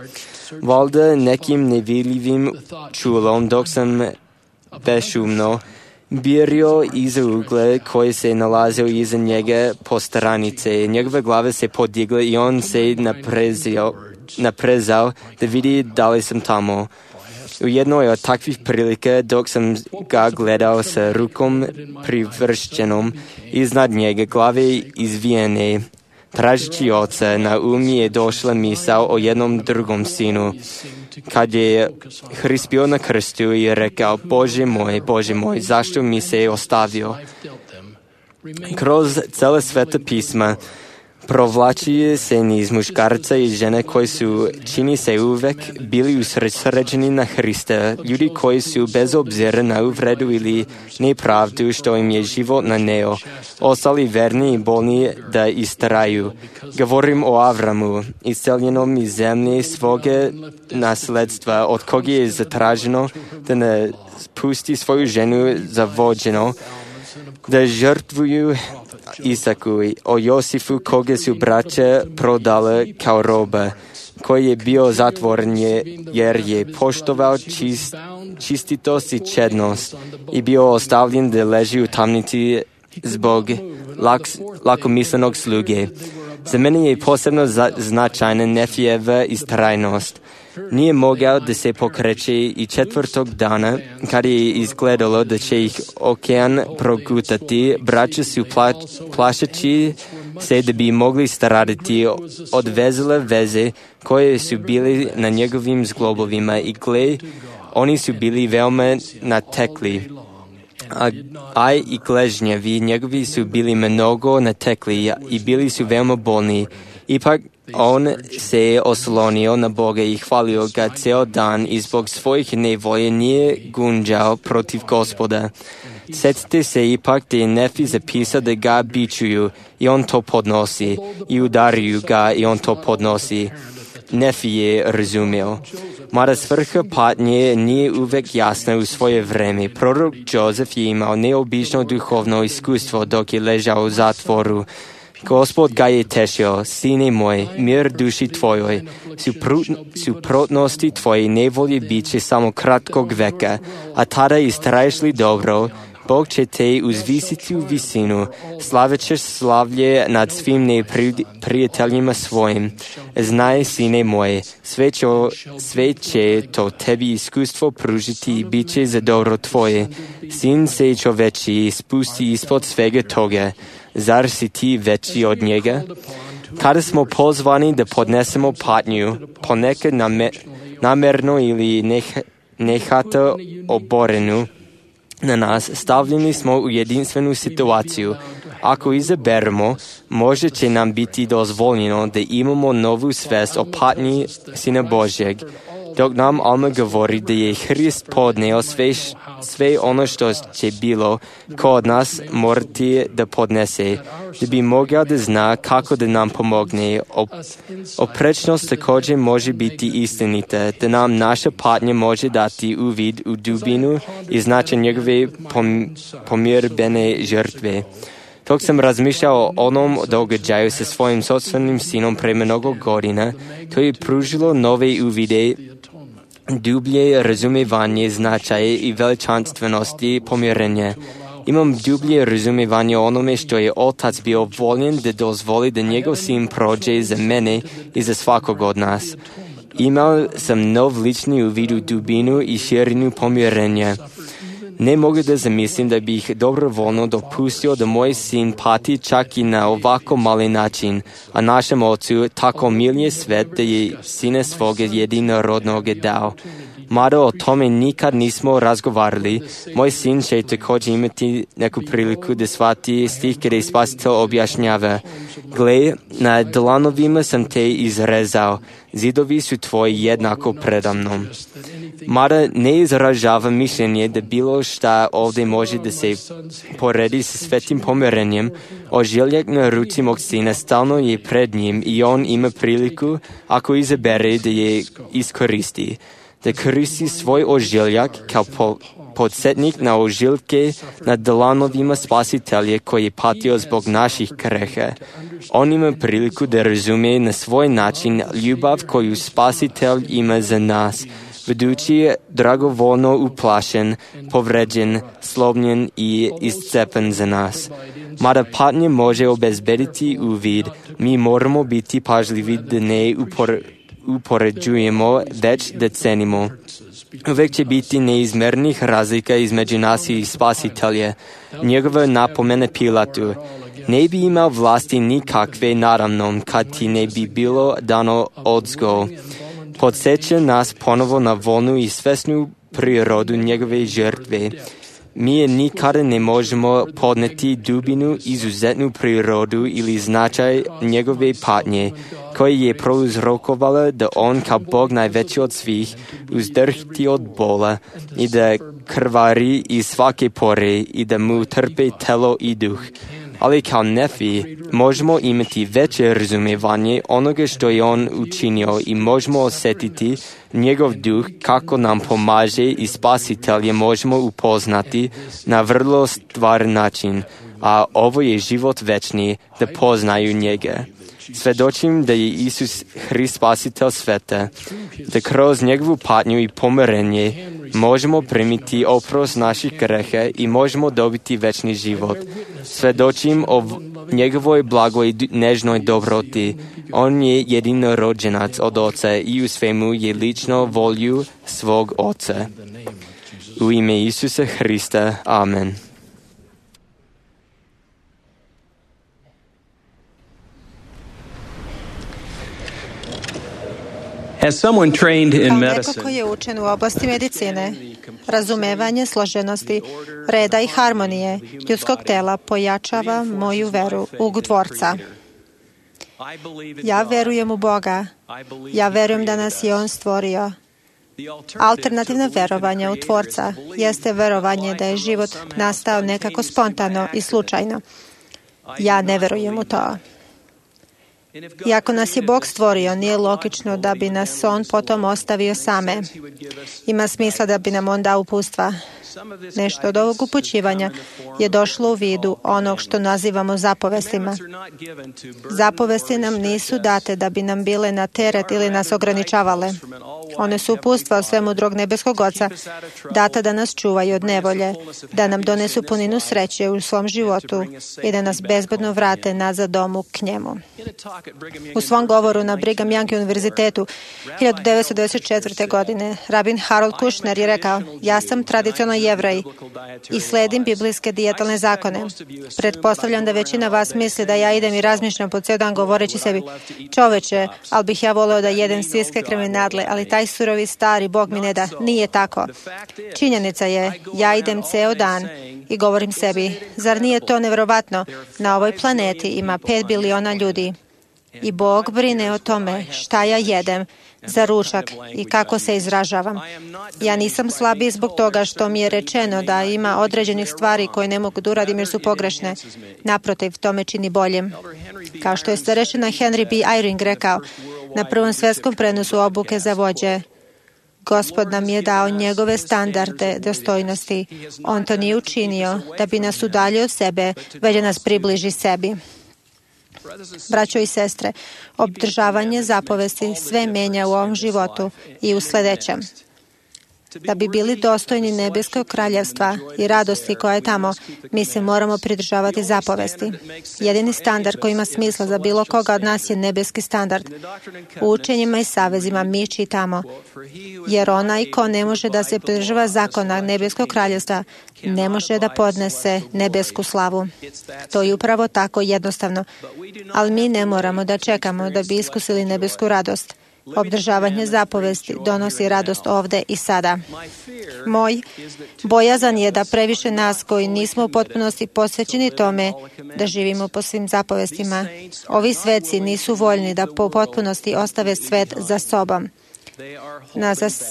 Valjda nekim nevidljivim čulom dok sam bešumno birio iza ugle koji se nalazio iza njega po stranice. Njegove glave se podigle i on se naprezao, naprezao da vidi da li sam tamo. U jednoj od takvih prilika, dok sam ga gledao sa rukom privršćenom iznad njega, glave izvijene, tražići oca, na um je došla misao o jednom drugom sinu. Kad je Hrist bio na krstu i rekao, Bože moj, Bože moj, zašto mi se ostavio? Kroz cele sveta pisma provlači se niz muškarca i žene koji su, čini se uvek, bili usredsređeni na Hrista, ljudi koji su bez obzira na uvredu ili nepravdu što im je život naneo, ostali verni i bolni da istraju. Govorim o Avramu, isceljenom iz zemlje svoga nasledstva, od koga je zatraženo da ne pusti svoju ženu za vođeno, da žrtvuju Isaku, o Josifu koga su braća prodale kao roba, koji je bio zatvoren je, jer je poštovao čist, čistitost i čednost i bio ostavljen da leži u tamnici zbog lak, lakomislenog sluge. Za mene je posebno za, značajna Nefijeva istrajnost. Nije mogao da se pokreće i četvrtog dana, kad je izgledalo da će ih okean progutati, braća su pla, plašeći se da bi mogli stradati odvezale veze koje su bili na njegovim zglobovima i gle, oni su bili veoma natekli. A, a i gležnjevi njegovi su bili mnogo natekli i bili su veoma bolni. Ipak on se oslonio na Boga i hvalio ga ceo dan i zbog svojih nevolje nije gunđao protiv Gospoda. Sjetite se ipak da je Nefi zapisao da ga bičuju i on to podnosi i udariju ga i on to podnosi. Nefi je razumio. Mada svrha patnje nije uvek jasna u svoje vreme. Prorok Jozef je imao neobično duhovno iskustvo dok je ležao u zatvoru. Gospod ga je tešio, sine moj, mir duši tvojoj, suprotnosti tvoje nevolje bit će samo kratkog veka, a tada istraješ li dobro, Bog će te uzvisiti u visinu, slavećeš slavlje nad svim neprijateljima svojim. Znaj, sine moje, sve će, sve će to tebi iskustvo pružiti i bit će za dobro tvoje. Sin se čoveči spusti ispod svega toga. Zar si ti veći od njega? Kada smo pozvani da podnesemo patnju, ponekad namer, namerno ili neh, nehata oborenu na nas, stavljeni smo u jedinstvenu situaciju. Ako izaberemo, može će nam biti dozvoljeno da imamo novu svest o patnji Sina Božjeg, dok nam Alma govori da je Hrist podneo sve, sve ono što će bilo kod nas morati da podnese, da bi mogao da zna kako da nam pomogne. Oprečnost također može biti istinita, da nam naša patnja može dati uvid u dubinu i značaj njegove pom, pomirbene žrtve. Dok sam razmišljao o onom događaju sa svojim sopstvenim sinom pre mnogo godina, to je pružilo nove uvide, dublje razumevanje značaja i veličanstvenosti pomirenja. Imam dublje razumevanje o onome što je Otac bio voljen da dozvoli da njegov sin prođe za mene i za svakog od nas. Imao sam nov lični uvid u dubinu i širinu pomirenja. Ne mogu da zamislim da bih dobrovoljno dopustio da moj sin pati čak i na ovako mali način, a našem Ocu tako milije svet da je Sina svoga jedinorodnog dao. Mada o tome nikad nismo razgovarali, moj sin će također imati neku priliku da shvati stih kada je Spasitelj objašnjava: Gle, na dlanovima sam te izrezao, zidovi su tvoji jednako predamnom. Mada ne izražava mišljenje da bilo šta ovdje može da se poredi sa svetim pomirenjem, ožiljak na ruci mog sina stalno je pred njim i on ima priliku, ako izabere, da je iskoristi. Da koristi svoj ožiljak kao po, podsjetnik na ožiljke na dlanovima Spasitelja koji je patio zbog naših greha. On ima priliku da razume na svoj način ljubav koju Spasitelj ima za nas, budući dragovoljno uplašen, povređen, slomljen i iscepan za nas. Mada patnja može obezbediti uvid, mi moramo biti pažljivi da ne upor, upoređujemo, već da cenimo. Uvek će biti neizmernih razlika između nas i Spasitelja. Njegova napomena Pilatu: ne bi imao vlasti nikakve naravno, kad ti ne bi bilo dano odzgo. Podsjeća nas ponovo na volnu i svesnu prirodu njegove žrtve. Mi je nikada ne možemo podneti dubinu, izuzetnu prirodu ili značaj njegove patnje, koje je prouzrokovala da on kao Bog najveći od svih uzdrhti od bola i da krvari iz svake pore i da mu trpe telo i duh. Ali kao Nefi možemo imati veće razumevanje onoga što je on učinio i možemo osjetiti njegov duh kako nam pomaže i Spasitelja možemo upoznati na vrlo stvaran način, a ovo je život večni, da poznaju njega. Svedočim da je Isus Hrist Spasitelj sveta, da kroz njegovu patnju i pomirenje možemo primiti oprost naših greha i možemo dobiti večni život. Svedočim o njegovoj blagoj i nežnoj dobroti. On je jedinorođenac od Oca i u svemu je lično volju svog Oca. U ime Isusa Hrista. Amen. As someone trained in Kao neko medicine, koji je učen u oblasti medicine, razumevanje složenosti, reda i harmonije ljudskog tela pojačava moju veru u Tvorca. Ja verujem u Boga. Ja verujem da nas je On stvorio. Alternativno verovanje u Tvorca jeste verovanje da je život nastao nekako spontano i slučajno. Ja ne verujem u to. I ako nas je Bog stvorio, nije logično da bi nas On potom ostavio same. Ima smisla da bi nam On dao upustva. Nešto od ovog upućivanja je došlo u vidu onog što nazivamo zapovestima. Zapovesti nam nisu date da bi nam bile na teret ili nas ograničavale. One su upustva o svemu drugog nebeskog Oca, data da nas čuvaju od nevolje, da nam donesu puninu sreće u svom životu i da nas bezbedno vrate nazad domu k njemu. U svom govoru na Brigham Young univerzitetu hiljadu devetsto devedeset četvrte. godine rabin Harold Kushner je rekao: ja sam tradicionalno Jevrej i sledim biblijske dijetalne zakone. Pretpostavljam da većina vas misli da ja idem i razmišljam po ceo dan govoreći sebi: čoveče, ali bih ja voleo da jedem svinjske krvne nadle, ali taj surovi stari Bog mi ne da. Nije tako. Činjenica je, ja idem ceo dan I govorim sebi, zar nije to nevjerovatno? Na ovoj planeti ima pet biliona ljudi. I Bog brine o tome šta ja jedem za ručak i kako se izražavam. Ja nisam slabiji zbog toga što mi je rečeno da ima određenih stvari koje ne mogu da uradim jer su pogrešne. Naprotiv, to me čini boljim. Kao što je starešina Henry B. Eyring rekao na prvom svjetskom prenosu obuke za vođe, Gospod nam je dao njegove standarde dostojnosti. On to nije učinio da bi nas udaljio od sebe, već da nas približi sebi. Braćo i sestre, obdržavanje zapovesti sve menja u ovom životu i u sljedećem. Da bi bili dostojni nebeskog kraljevstva i radosti koja je tamo, mi se moramo pridržavati zapovesti. Jedini standard koji ima smisla za bilo koga od nas je nebeski standard. U učenjima i savezima mi čitamo, jer onaj ko ne može da se pridržava zakona nebeskog kraljevstva, ne može da podnese nebesku slavu. To je upravo tako jednostavno. Ali mi ne moramo da čekamo da bi iskusili nebesku radost. Obdržavanje zapovesti donosi radost ovde i sada. Moj bojazan je da previše nas koji nismo u potpunosti posvećeni tome da živimo po svim zapovestima. Ovi sveci nisu voljni da po potpunosti ostave svet za sobom. Na zas...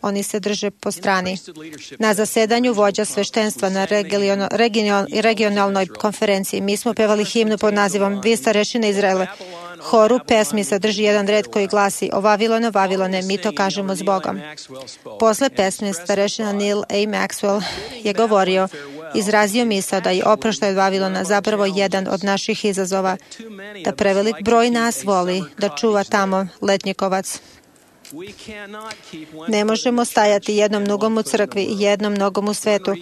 Oni se drže po strani. Na zasedanju vođa sveštenstva na regional, regional, regionalnoj konferenciji mi smo pevali himnu pod nazivom Vi starešine Izraele. Horu pesmi sadrži jedan red koji glasi O Vavilone, Vavilone, mi to kažemo s Bogom. Posle pesme starešina Neil A. Maxwell je govorio, izrazio misao da je oproštaj od Vavilona zapravo jedan od naših izazova, da prevelik broj nas voli da čuva tamo letnjikovac. Ne možemo stajati jednom nogom u crkvi i jednom nogom u svetu.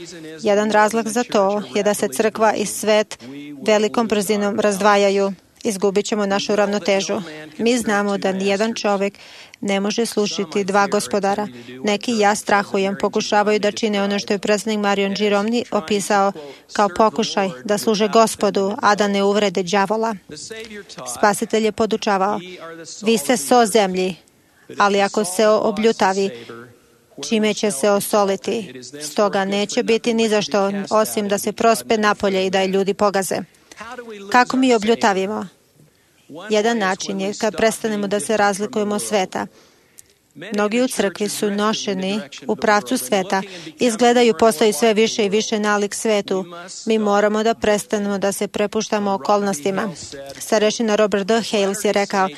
Jedan razlog za to je da se crkva i svet velikom brzinom razdvajaju. Izgubit ćemo našu ravnotežu. Mi znamo da nijedan čovjek ne može slušati dva gospodara. Neki, ja strahujem, pokušavaju da čine ono što je predsjednik Marion Giromni opisao kao pokušaj da služe Gospodu, a da ne uvrede đavola. Spasitelj je podučavao, vi ste so zemlji, ali ako se obljutavi, čime će se osoliti. Stoga neće biti ni za što, osim da se prospe napolje i da je ljudi pogaze. Kako mi obljutavimo? Jedan način je kad prestanemo da se razlikujemo od sveta. Mnogi u crkvi su nošeni u pravcu sveta, izgledaju postaju sve više i više nalik svetu. Mi moramo da prestanemo da se prepuštamo okolnostima. Starešina Robert D. Hales je rekao,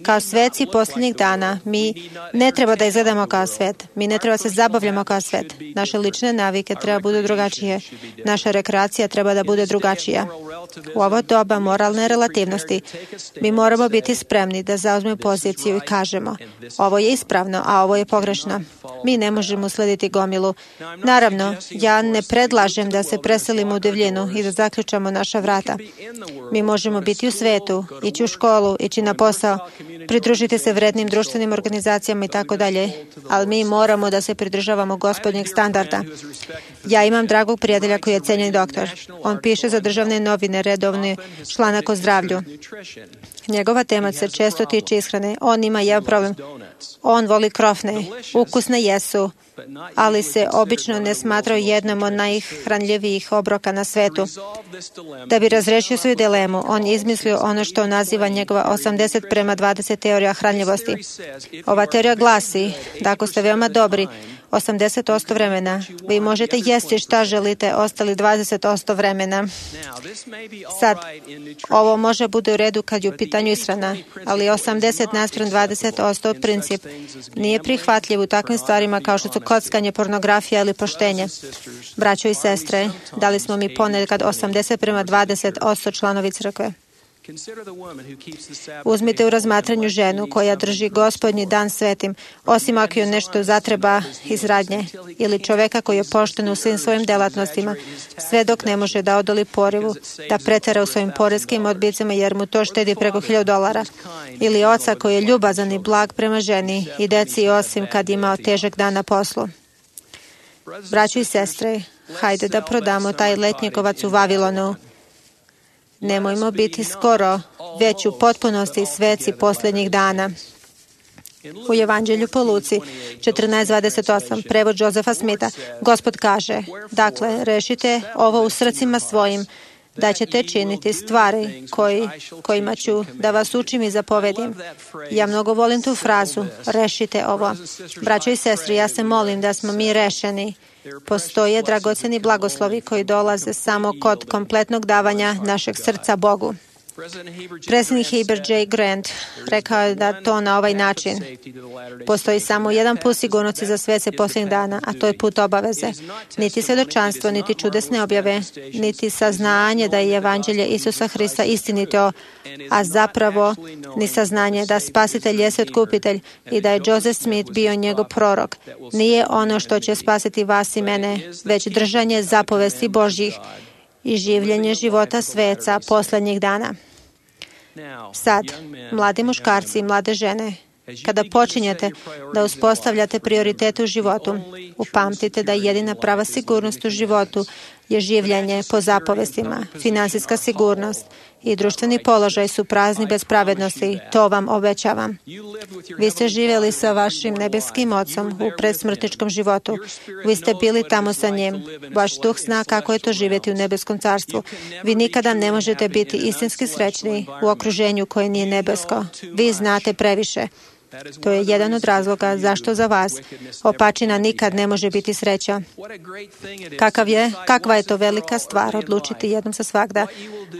kao sveci posljednjih dana, mi ne treba da izgledamo kao svet. Mi ne treba se zabavljamo kao svet. Naše lične navike treba budu drugačije. Naša rekreacija treba da bude drugačija. U ovo doba moralne relativnosti mi moramo biti spremni da zauzmemo poziciju i kažemo, ovo je ispravno, a ovo je pogrešno. Mi ne možemo slediti gomilu. Naravno, ja ne predlažem da se preselimo u divljinu i da zaključamo naša vrata. Mi možemo biti u svetu, ići u školu, ići na posao, pridružiti se vrednim društvenim organizacijama i tako dalje, ali mi moramo da se pridržavamo Gospodnjeg standarda. Ja imam dragog prijatelja koji je cenjeni doktor. On piše za državne novine redovni članak o zdravlju. Njegova tema se često tiče ishrane. On ima jedan problem. On voli krofne. Ukusne jesu, ali se obično ne smatraju jednom od najhranljivijih obroka na svetu. Da bi razrešio svoju dilemu, on je izmislio ono što naziva njegova osamdeset prema dvadeset teorija hranljivosti. Ova teorija glasi da ako ste veoma dobri, osamdeset posto vremena, vi možete jesti šta želite ostali dvadeset posto vremena. Sad, ovo može bude u redu kad je u pitanju ishrana, ali osamdeset naspram dvadeset posto princip nije prihvatljiv u takvim stvarima kao što su kockanje, pornografija ili poštenje. Braćo i sestre, da li smo mi ponekad osamdeset prema dvadeset posto članovi crkve? Uzmite u razmatranju ženu koja drži Gospodnji dan svetim, osim ako joj nešto zatreba iz radnje, ili čoveka koji je pošten u svim svojim delatnostima, sve dok ne može da odoli porivu, da pretera u svojim poreskim odbicama jer mu to štedi preko hiljadu dolara, ili oca koji je ljubazan i blag prema ženi i deci osim kad imao težak dan na poslu. Braćo i sestre, hajde da prodamo taj letnjikovac u Vavilonu. Nemojmo biti skoro, već u potpunosti sveci posljednjih dana. U Evanđelju po Luci četrnaest dvadeset osam, prevod Josefa Smitha, Gospod kaže, dakle, rešite ovo u srcima svojim, da ćete činiti stvari koji, kojima ću da vas učim i zapovedim. Ja mnogo volim tu frazu, rešite ovo. Braćo i sestri, ja se molim da smo mi rešeni. Postoje dragoceni blagoslovi koji dolaze samo kod kompletnog davanja našeg srca Bogu. Predsjednik Heber J. Grant rekao je da to na ovaj način. Postoji samo jedan put sigurnosti za svece posljednjih dana, a to je put obaveze. Niti svedočanstvo, niti čudesne objave, niti saznanje da je evanđelje Isusa Hrista istinito, a zapravo ni saznanje da spasitelj jeste otkupitelj i da je Joseph Smith bio njegov prorok. Nije ono što će spasiti vas i mene, već držanje zapovesti Božjih i življenje života sveca posljednjih dana. Sad, mladi muškarci i mlade žene, kada počinjete da uspostavljate prioritete u životu, upamtite da jedina prava sigurnost u životu je življenje po zapovestima, finansijska sigurnost i društveni položaj su prazni bez pravednosti, to vam obećavam. Vi ste živjeli sa vašim nebeskim Ocom u predsmrtničkom životu. Vi ste bili tamo sa njim. Vaš duh zna kako je to živjeti u nebeskom carstvu. Vi nikada ne možete biti istinski srećni u okruženju koje nije nebesko. Vi znate previše. To je jedan od razloga zašto za vas opačina nikad ne može biti sreća. Kakav je, kakva je to velika stvar odlučiti jednom za svagda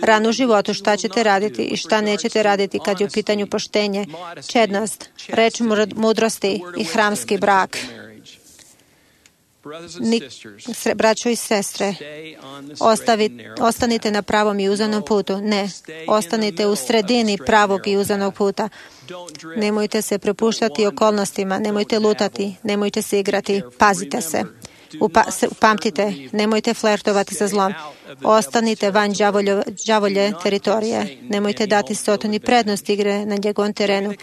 rano u životu šta ćete raditi i šta nećete raditi kad je u pitanju poštenje, čednost, reč mudrosti i hramski brak. Ni, sre, braćo i sestre, ostavi, ostanite na pravom i uzanom putu. Ne, ostanite u sredini pravog i uzanog puta. Nemojte se prepuštati okolnostima, nemojte lutati, nemojte se igrati, pazite se. Upa, upamtite, nemojte flertovati sa zlom. Ostanite van đavoljo, đavolje teritorije. Nemojte dati Sotoni prednost igre na njegovom terenu.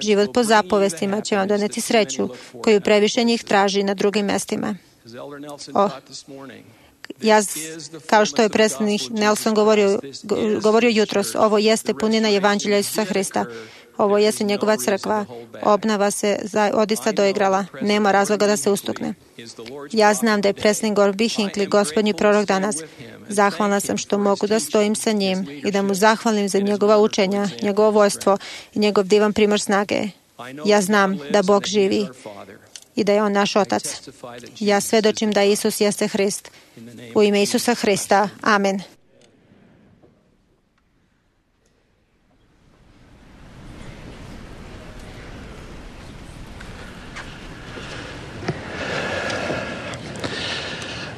Život po zapovestima će vam doneti sreću koju previše njih traži na drugim mestima. O, ja, kao što je predsjednik Nelson govorio, govorio jutros, ovo jeste punina evanđelja Isusa Hrista. Ovo jeste njegova crkva. Obnova se odista doigrala. Nema razloga da se ustukne. Ja znam da je predsjednik Gorby Hinckley gospodnji prorok danas. Zahvalna sam što mogu da stojim sa njim i da mu zahvalim za njegova učenja, njegovo vojstvo i njegov divan primjer snage. Ja znam da Bog živi i da je On naš Otac. Ja svedočim da Isus jeste Hrist. U ime Isusa Hrista. Amen.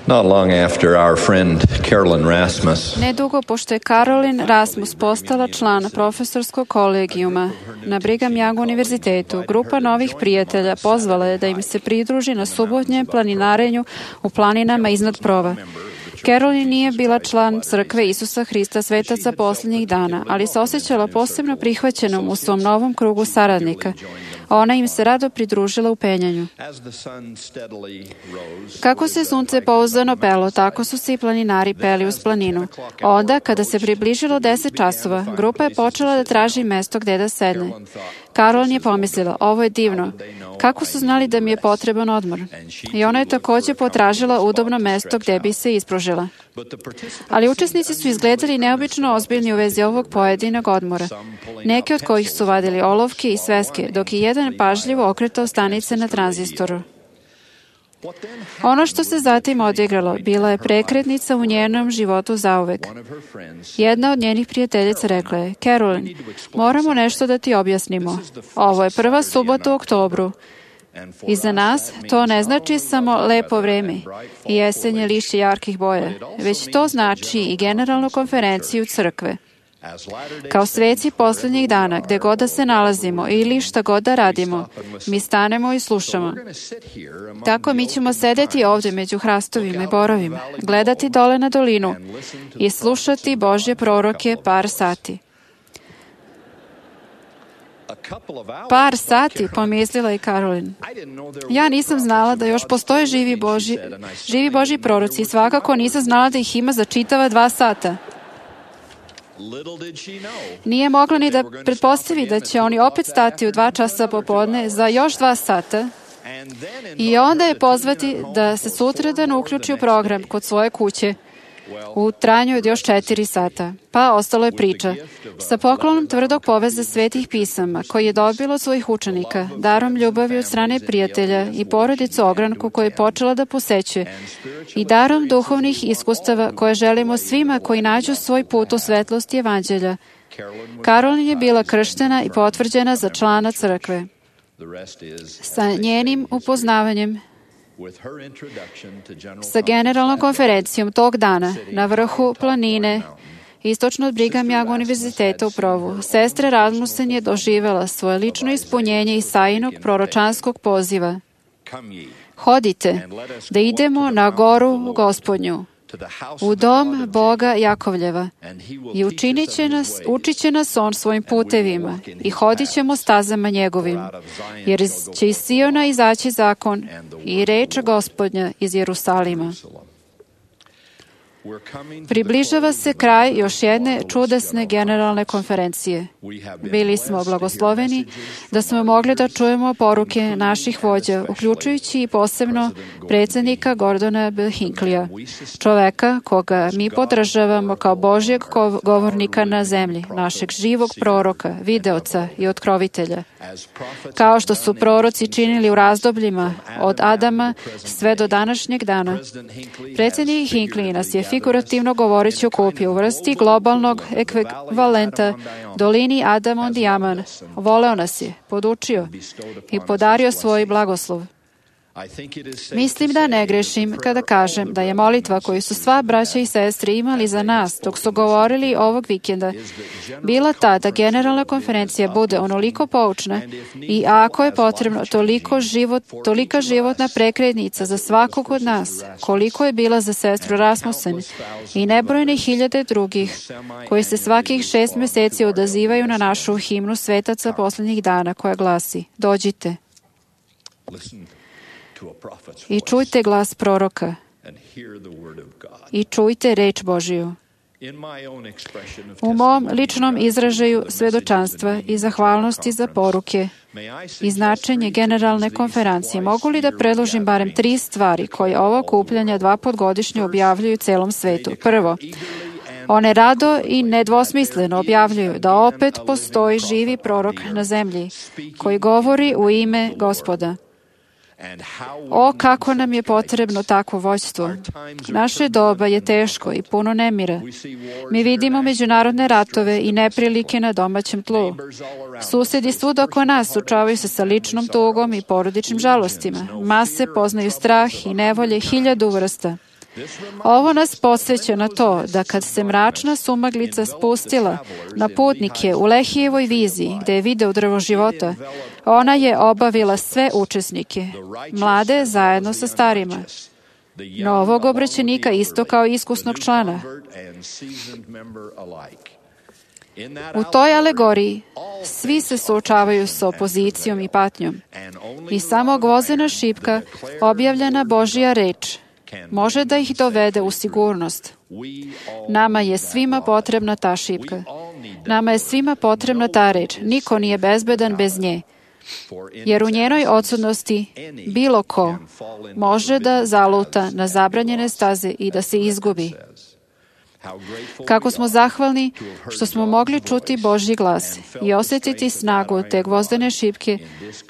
Not long after our friend Carolyn Rasmus, Nedugo pošto je Carolyn Rasmus postala član profesorskog kolegijuma na Brigham Young univerzitetu, grupa novih prijatelja pozvala je da im se pridruži na subotnjem planinarenju u planinama iznad Prova. Carolyn nije bila član crkve Isusa Hrista svetaca posljednjih dana, ali se osjećala posebno prihvaćenom u svom novom krugu saradnika. Ona im se rado pridružila u penjanju. Kako se sunce pouzdano pelo, tako su se i planinari peli uz planinu. Onda, kada se približilo deset časova, grupa je počela da traži mesto gde da sedne. Carolyn je pomislila, ovo je divno. Kako su znali da mi je potreban odmor? I ona je također potražila udobno mesto gde bi se ispružila. Ali učesnici su izgledali neobično ozbiljni u vezi ovog pojedinog odmora. Neki od kojih su vadili olovke i sveske, dok je jedan pažljivo okretao stanice na tranzistoru. Ono što se zatim odigralo bila je prekretnica u njenom životu zauvek. Jedna od njenih prijateljica rekla je, Carolyn, moramo nešto da ti objasnimo. Ovo je prva subota u oktobru. I za nas to ne znači samo lepo vreme i jesenje lišće jarkih boja, već to znači i generalnu konferenciju crkve. Kao sveci posljednjih dana, gde god da se nalazimo ili šta god da radimo, mi stanemo i slušamo. Tako mi ćemo sedeti ovdje među hrastovima i borovima, gledati dole na dolinu i slušati Božje proroke par sati. Par sati, pomislila i Carolyn. Ja nisam znala da još postoje živi Božji, živi Božji proroci i svakako nisam znala da ih ima za čitava dva sata. Nije mogla ni da pretpostavi da će oni opet stati u dva časa popodne za još dva sata i onda je pozvati da se sutradan uključi u program kod svoje kuće u trajanju od još četiri sata. Pa ostalo je priča. Sa poklonom tvrdog poveza svetih pisama, koji je dobilo od svojih učenika, darom ljubavi od strane prijatelja i porodicu ogranku koju je počela da posećuje, i darom duhovnih iskustava koje želimo svima koji nađu svoj put u svetlosti evanđelja, Karolin je bila krštena i potvrđena za člana crkve. Sa njenim upoznavanjem sa generalnom konferencijom tog dana na vrhu planine istočno od Brigham Young univerziteta u Provu, sestra Rasmussen je doživela svoje lično ispunjenje Isaijinog proročanskog poziva. Hodite, da idemo na goru Gospodnju, u dom Boga Jakovljeva, i učinit će nas, učit će nas on svojim putevima i hodit ćemo stazama njegovim, jer će iz Siona izaći zakon i reč Gospodnja iz Jerusalima. Približava se kraj još jedne čudesne generalne konferencije. Bili smo blagosloveni da smo mogli da čujemo poruke naših vođa, uključujući i posebno predsjednika Gordona B. Hinckleyja, čoveka koga mi podržavamo kao Božjeg govornika na zemlji, našeg živog proroka, videoca i otkrovitelja. Kao što su proroci činili u razdobljima od Adama sve do današnjeg dana, predsjednik Hinckley nas je figurativno govoreći okupio u vrsti globalnog ekvivalenta dolini Adam on Diaman. Voleo nas je, podučio i podario svoj blagoslov. Mislim da ne grešim kada kažem da je molitva koju su sva braća i sestre imali za nas dok su govorili ovog vikenda bila ta da generalna konferencija bude onoliko poučna i ako je potrebno toliko život, tolika životna prekretnica za svakog od nas, koliko je bila za sestru Rasmussen i nebrojne hiljade drugih koji se svakih šest meseci odazivaju na našu himnu svetaca posljednjih dana koja glasi: dođite i čujte glas proroka i čujte reč Božiju. U mom ličnom izražaju svedočanstva i zahvalnosti za poruke i značenje generalne konferencije, mogu li da predložim barem tri stvari koje ovo okupljanje dva put godišnje objavljuju celom svetu? Prvo, one rado i nedvosmisleno objavljuju da opet postoji živi prorok na zemlji koji govori u ime Gospoda. O, kako nam je potrebno takvo vođstvo. Naše doba je teško i puno nemira. Mi vidimo međunarodne ratove i neprilike na domaćem tlu. Susedi svud oko nas suočavaju se sa ličnom tugom i porodičnim žalostima. Mase poznaju strah i nevolje hiljadu vrsta. Ovo nas podsjeća na to da kad se mračna sumaglica spustila na putnike u Lehijevoj viziji gde je video drvo života, ona je obavila sve učesnike, mlade zajedno sa starima, novog obraćenika isto kao iskusnog člana. U toj alegoriji svi se suočavaju sa opozicijom i patnjom i samo gvozena šipka, objavljena Božja reč, može da ih dovede u sigurnost. Nama je svima potrebna ta šipka. Nama je svima potrebna ta reč. Niko nije bezbedan bez nje. Jer u njenoj odsutnosti bilo ko može da zaluta na zabranjene staze i da se izgubi. Kako smo zahvalni što smo mogli čuti Božji glas i osjetiti snagu te gvozdene šipke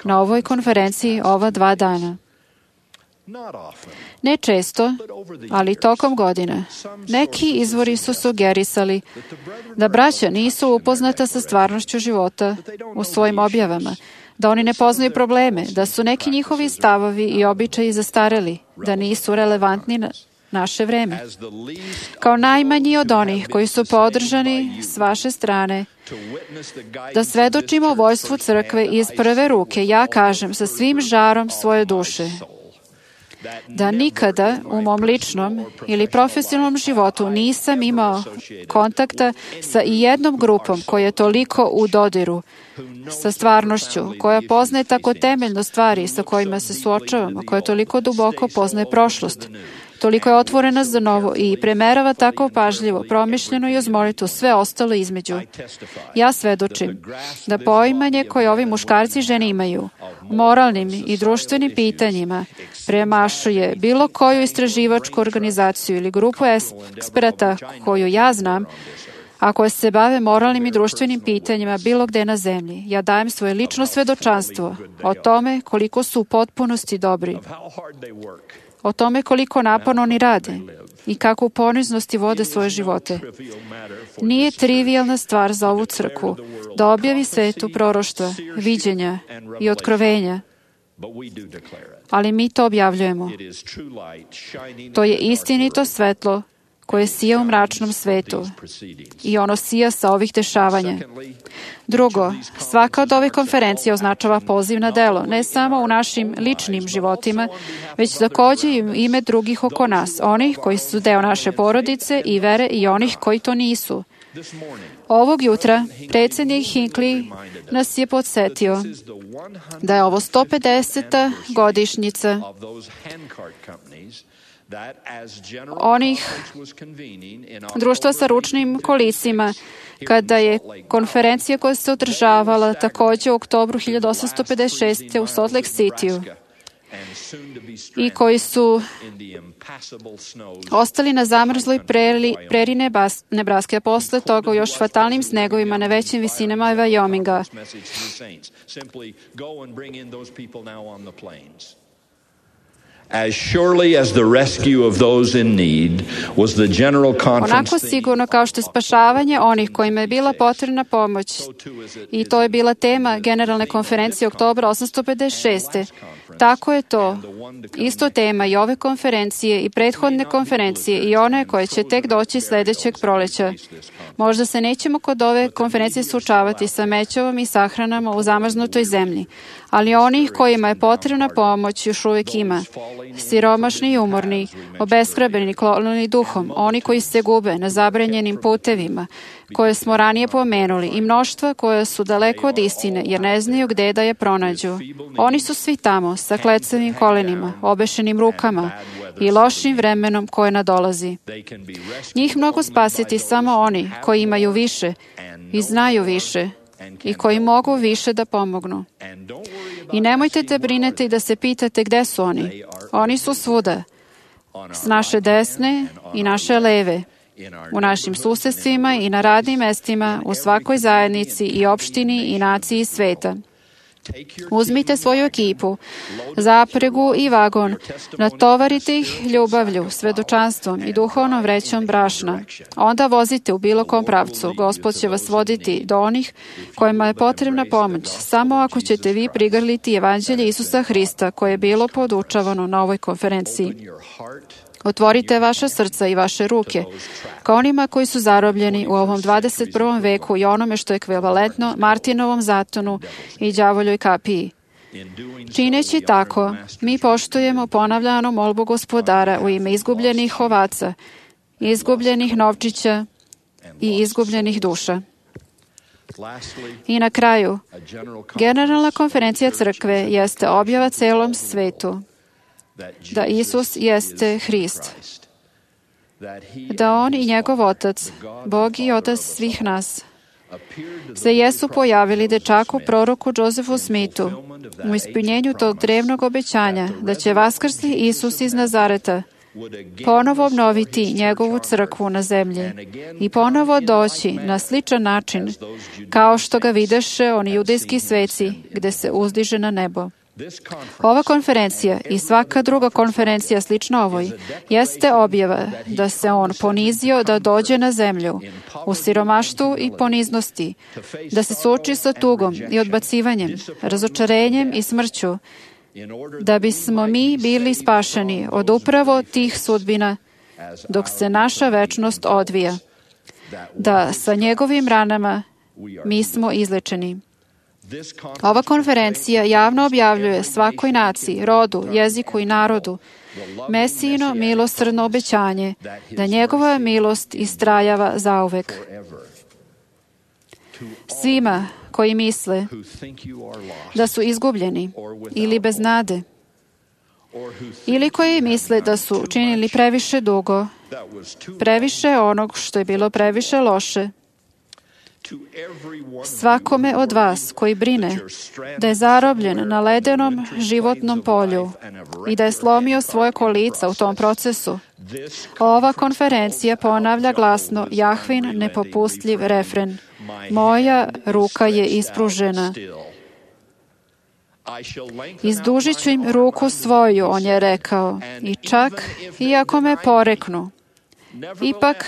na ovoj konferenciji ova dva dana. Ne često, ali tokom godina, neki izvori su sugerisali da braća nisu upoznata sa stvarnošću života u svojim objavama, da oni ne poznaju probleme, da su neki njihovi stavovi i običaji zastareli, da nisu relevantni na naše vreme. Kao najmanji od onih koji su podržani s vaše strane, da svedočimo vojstvu crkve iz prve ruke, ja kažem sa svim žarom svoje duše, da nikada u mom ličnom ili profesionalnom životu nisam imao kontakta sa i jednom grupom koja je toliko u dodiru sa stvarnošću, koja poznaje tako temeljno stvari sa kojima se suočavamo, koja toliko duboko poznaje prošlost Toliko je otvorena za novo i premerava tako pažljivo, promišljeno i uz molitvu sve ostalo između. Ja svedočim da poimanje koje ovi muškarci i žene imaju moralnim i društvenim pitanjima premašuje bilo koju istraživačku organizaciju ili grupu eksperata koju ja znam, a koje se bave moralnim i društvenim pitanjima bilo gde na zemlji. Ja dajem svoje lično svedočanstvo o tome koliko su u potpunosti dobri, o tome koliko naporno oni rade i kako u poniznosti vode svoje živote. Nije trivijalna stvar za ovu crkvu da objavi svetu proroštva, viđenja i otkrovenja, ali mi to objavljujemo. To je istinito svetlo koje sija u mračnom svetu i ono sija sa ovih dešavanja. Drugo, svaka od ovih konferencija označava poziv na delo, ne samo u našim ličnim životima, već takođe i u ime drugih oko nas, onih koji su deo naše porodice i vere i onih koji to nisu. Ovog jutra predsjednik Hinckley nas je podsjetio da je ovo sto pedeseta godišnjica onih društva sa ručnim kolicima, kada je konferencija koja se održavala takođe u oktobru hiljadu osamsto pedeset šeste. u Salt Lake Cityu i koji su ostali na zamrzloj preri, preri Nebraske, a posle toga u još fatalnim snegovima na većim visinama Wyominga. As surely as the rescue of those in need was the general conference. Onako sigurno kao što je spašavanje onih kojima je bila potrebna pomoć. I to je bila tema generalne konferencije oktobra osamsto pedeset šeste. Tako je to isto tema i ove konferencije i prethodne konferencije i one koje će tek doći sledećeg proleća. Možda se nećemo kod ove konferencije suočavati sa mećovom i sahranama u zamrznutoj zemlji, ali onih kojima je potrebna pomoć još uvijek ima. Siromašni i umorni, obeshrabljeni, klonjeni duhom, oni koji se gube na zabranjenim putevima, koje smo ranije pomenuli, i mnoštva koja su daleko od istine, jer ne znaju gde da je pronađu. Oni su svi tamo, sa klecavim kolenima, obešenim rukama i lošim vremenom koje nadolazi. Njih mogu spasiti samo oni koji imaju više i znaju više i koji mogu više da pomognu. I nemojte da brinete i da se pitate gde su oni. Oni su svuda, s naše desne i naše leve, u našim susedstvima i na radnim mestima, u svakoj zajednici i opštini i naciji sveta. Uzmite svoju ekipu, zapregu i vagon, natovarite ih ljubavlju, svedočanstvom i duhovnom vrećom brašna. Onda vozite u bilo kom pravcu. Gospod će vas voditi do onih kojima je potrebna pomoć, samo ako ćete vi prigrliti evanđelje Isusa Hrista koje je bilo podučavano na ovoj konferenciji. Otvorite vaša srca i vaše ruke ka onima koji su zarobljeni u ovom dvadeset prvom veku i onome što je ekvivalentno Martinovom zatonu i đavoljoj kapiji. Čineći tako, mi poštujemo ponavljanu molbu Gospodara u ime izgubljenih ovaca, izgubljenih novčića i izgubljenih duša. I na kraju, Generalna konferencija crkve jeste objava celom svetu da Isus jeste Hrist, da On i njegov Otac, Bog i Otac svih nas, se jesu pojavili dečaku proroku Josefu Smithu u ispunjenju tog drevnog obećanja da će vaskrsli Isus iz Nazareta ponovo obnoviti njegovu crkvu na zemlji i ponovo doći na sličan način kao što ga videše oni judejski sveci gde se uzdiže na nebo. Ova konferencija i svaka druga konferencija slična ovoj jeste objava da se on ponizio da dođe na zemlju u siromaštvu i poniznosti, da se suoči sa tugom i odbacivanjem, razočarenjem i smrću, da bismo mi bili spašeni od upravo tih sudbina dok se naša večnost odvija, da sa njegovim ranama mi smo izlečeni. Ova konferencija javno objavljuje svakoj naciji, rodu, jeziku i narodu Mesijino milosrdno obećanje da njegova milost istrajava zauvek. Svima koji misle da su izgubljeni ili bez nade, ili koji misle da su učinili previše dugo, previše onog što je bilo previše loše. Svakome od vas koji brine da je zarobljen na ledenom životnom polju i da je slomio svoje kolica u tom procesu, ova konferencija ponavlja glasno Jahvin nepopustljiv refren: moja ruka je ispružena. Izdužit ću im ruku svoju, on je rekao, i čak iako me poreknu, ipak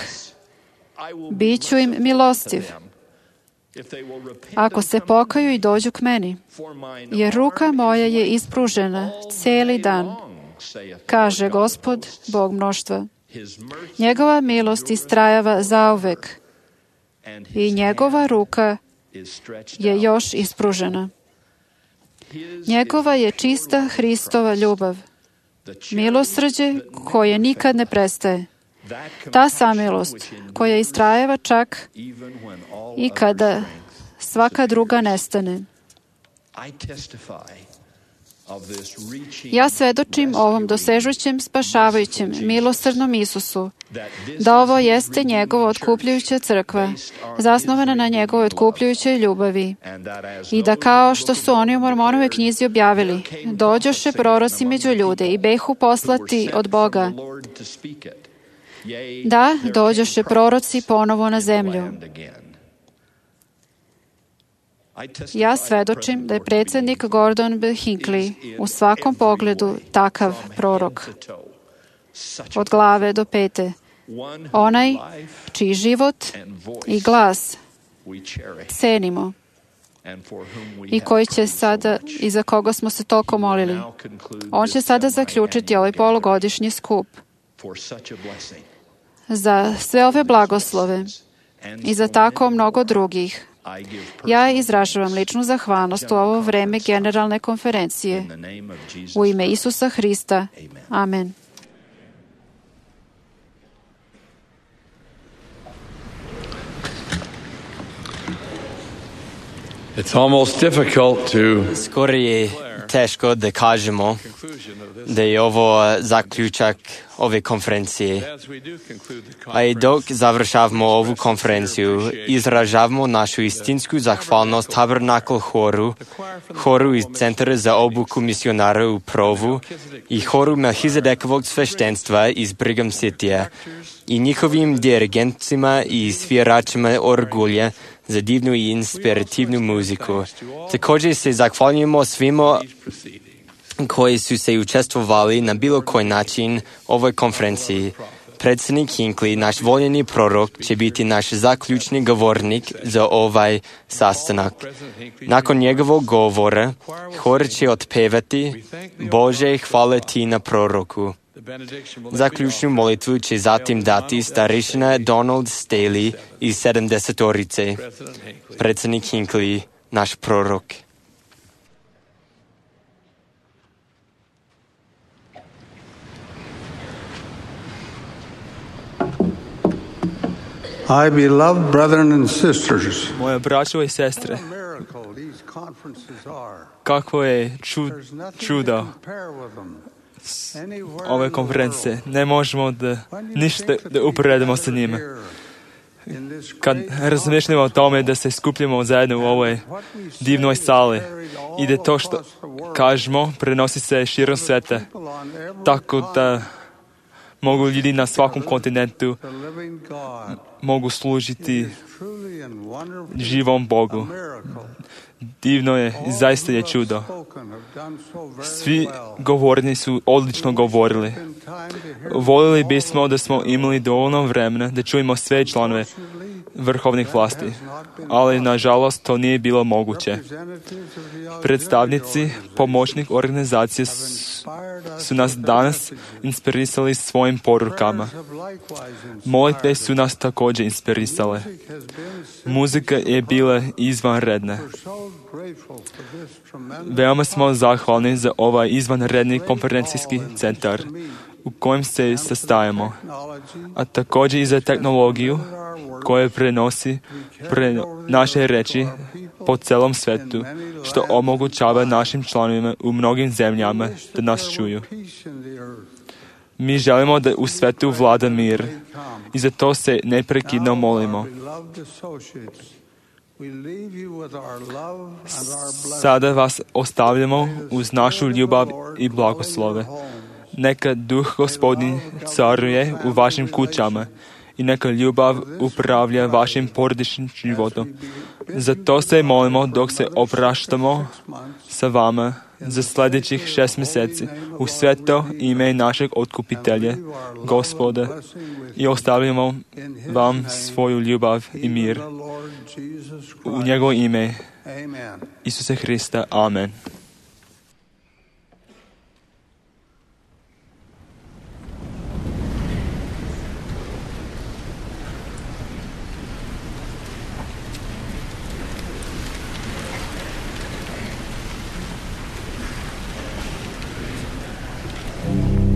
bit ću im milostiv, ako se pokaju i dođu k meni, jer ruka moja je ispružena cijeli dan, kaže Gospod, Bog mnoštva. Njegova milost istrajava zauvek i njegova ruka je još ispružena. Njegova je čista Hristova ljubav, milosrđe koje nikad ne prestaje. Ta samilost koja istrajeva čak i kada svaka druga nestane. Ja svedočim ovom dosežućem, spašavajućem, milosrdnom Isusu, da ovo jeste njegova otkupljujuća crkva, zasnovana na njegovoj otkupljujućoj ljubavi, i da kao što su oni u Mormonovoj knjizi objavili, dođoše proroci među ljude i behu poslati od Boga. Da, dođoše proroci ponovo na zemlju. Ja svedočim da je predsjednik Gordon B. Hinckley u svakom pogledu takav prorok. Od glave do pete. Onaj čiji život i glas cenimo i koji će sada, i za koga smo se toliko molili. On će sada zaključiti ovaj polugodišnji skup. Za sve ove blagoslove i za tako mnogo drugih, ja izražavam ličnu zahvalnost u ovo vreme generalne konferencije. U ime Isusa Hrista. Amen. It's almost difficult to Skoro je teško da kažemo da je ovo zaključak ove konferencije. A i dok završavamo ovu konferenciju, izražavamo našu istinsku zahvalnost Tabernacle horu, horu iz Centra za obuku misionara u Provu i horu Melchizedekovog sveštenstva iz Brigham Citya i njihovim dirigentima i sviračima orgulja za divnu i inspirativnu muziku. Također se zahvaljujemo svima koji su se učestvovali na bilo koji način ovoj konferenciji. Predsjednik Hinckley, naš voljeni prorok, će biti naš zaključni govornik za ovaj sastanak. Nakon njegovog govora, hor će otpevati Bože, hvala ti na proroku. Zaključnu molitvu će zatim dati starešina Donald Staley iz sedamdesetorice. Predsjednik Hinckley, naš prorok. I beloved brethren and sisters. Moje braćo i sestre, kakvo je čud, čudo ove konferencije. Ne možemo da ništa da uporedimo sa njima. Kad razmišljamo o tome da se skupljamo zajedno u ovoj divnoj sali i da to što kažemo prenosi se širom sveta, tako da mogu ljudi na svakom kontinentu mogu služiti živom Bogu. Divno je, zaista je čudo. Svi govorni su odlično govorili. Volili bismo da smo imali dovoljno vremena da čujemo sve članove vrhovnih vlasti, ali nažalost to nije bilo moguće. Predstavnici pomoćnih organizacija su nas danas inspirisali svojim porukama. Molitve su nas također inspirisale. Muzika je bila izvanredna. Veoma smo zahvalni za ovaj izvanredni konferencijski centar u kojem se sastajemo, a također i za tehnologiju koja prenosi pre naše reči po celom svetu, što omogućava našim članovima u mnogim zemljama da nas čuju. Mi želimo da u svetu vlada mir i za to se neprekidno molimo. Sada vas ostavljamo uz našu ljubav i blagoslove. Neka duh Gospodin caruje u vašim kućama i neka ljubav upravlja vašim porodičnim životom. Zato se molimo dok se opraštamo sa vama za sljedećih šest mjeseci u sveto ime našeg otkupitelja, Gospoda, i ostavljamo vam svoju ljubav i mir. U njegovo ime Isuse Hrista. Amen. For the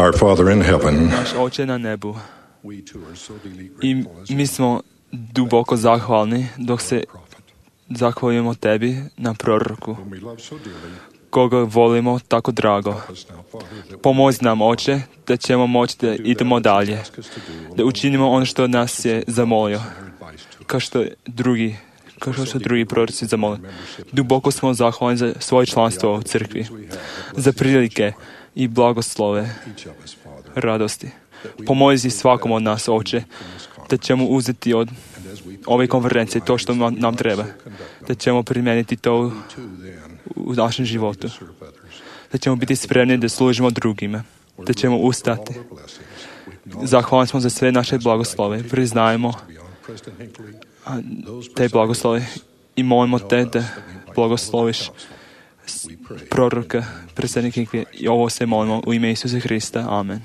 Our Father in heaven, naš Oče na nebu. I mi smo duboko zahvalni dok se zahvaljujemo tebi na proroku, koga volimo tako drago. Pomozi nam, Oče, da ćemo moći da idemo dalje, da učinimo ono što nas je zamolio, kao što drugi, kao što drugi proroci zamolili. Duboko smo zahvalni za svoje članstvo u crkvi, za prilike i blagoslove, radosti. Pomozi svakom od nas, Oče, da ćemo uzeti od ove konferencije to što nam treba, da ćemo primijeniti to u našem životu, da ćemo biti spremni da služimo drugima, da ćemo ustati. Zahvalni smo za sve naše blagoslove, priznajemo te blagoslove i molimo te da blagosloviš proroka, predsjednika, i ovo se molimo u ime Isusa Hrista. Amen.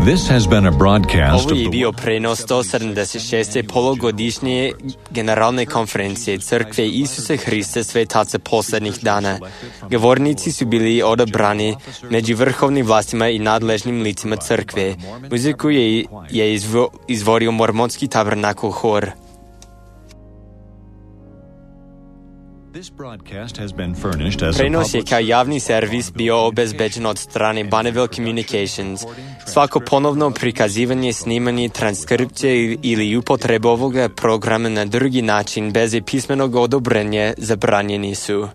This has been a broadcast Ovo je bio prenos sto sedamdeset šeste polugodišnje generalne konferencije Crkve Isusa Hrista Svetaca posljednjih dana. Govornici su bili odabrani među vrhovnim vlastima i nadležnim licima crkve. Muziku je, je izvo, izvorio Mormonski tabernakl hor. Prenos je kao javni servis bio obezbeđen od strane Bonneville Communications. Svako ponovno prikazivanje, snimanje, transkripcije ili upotreba ovoga programa na drugi način bez pismenog odobrenja zabranjeni su.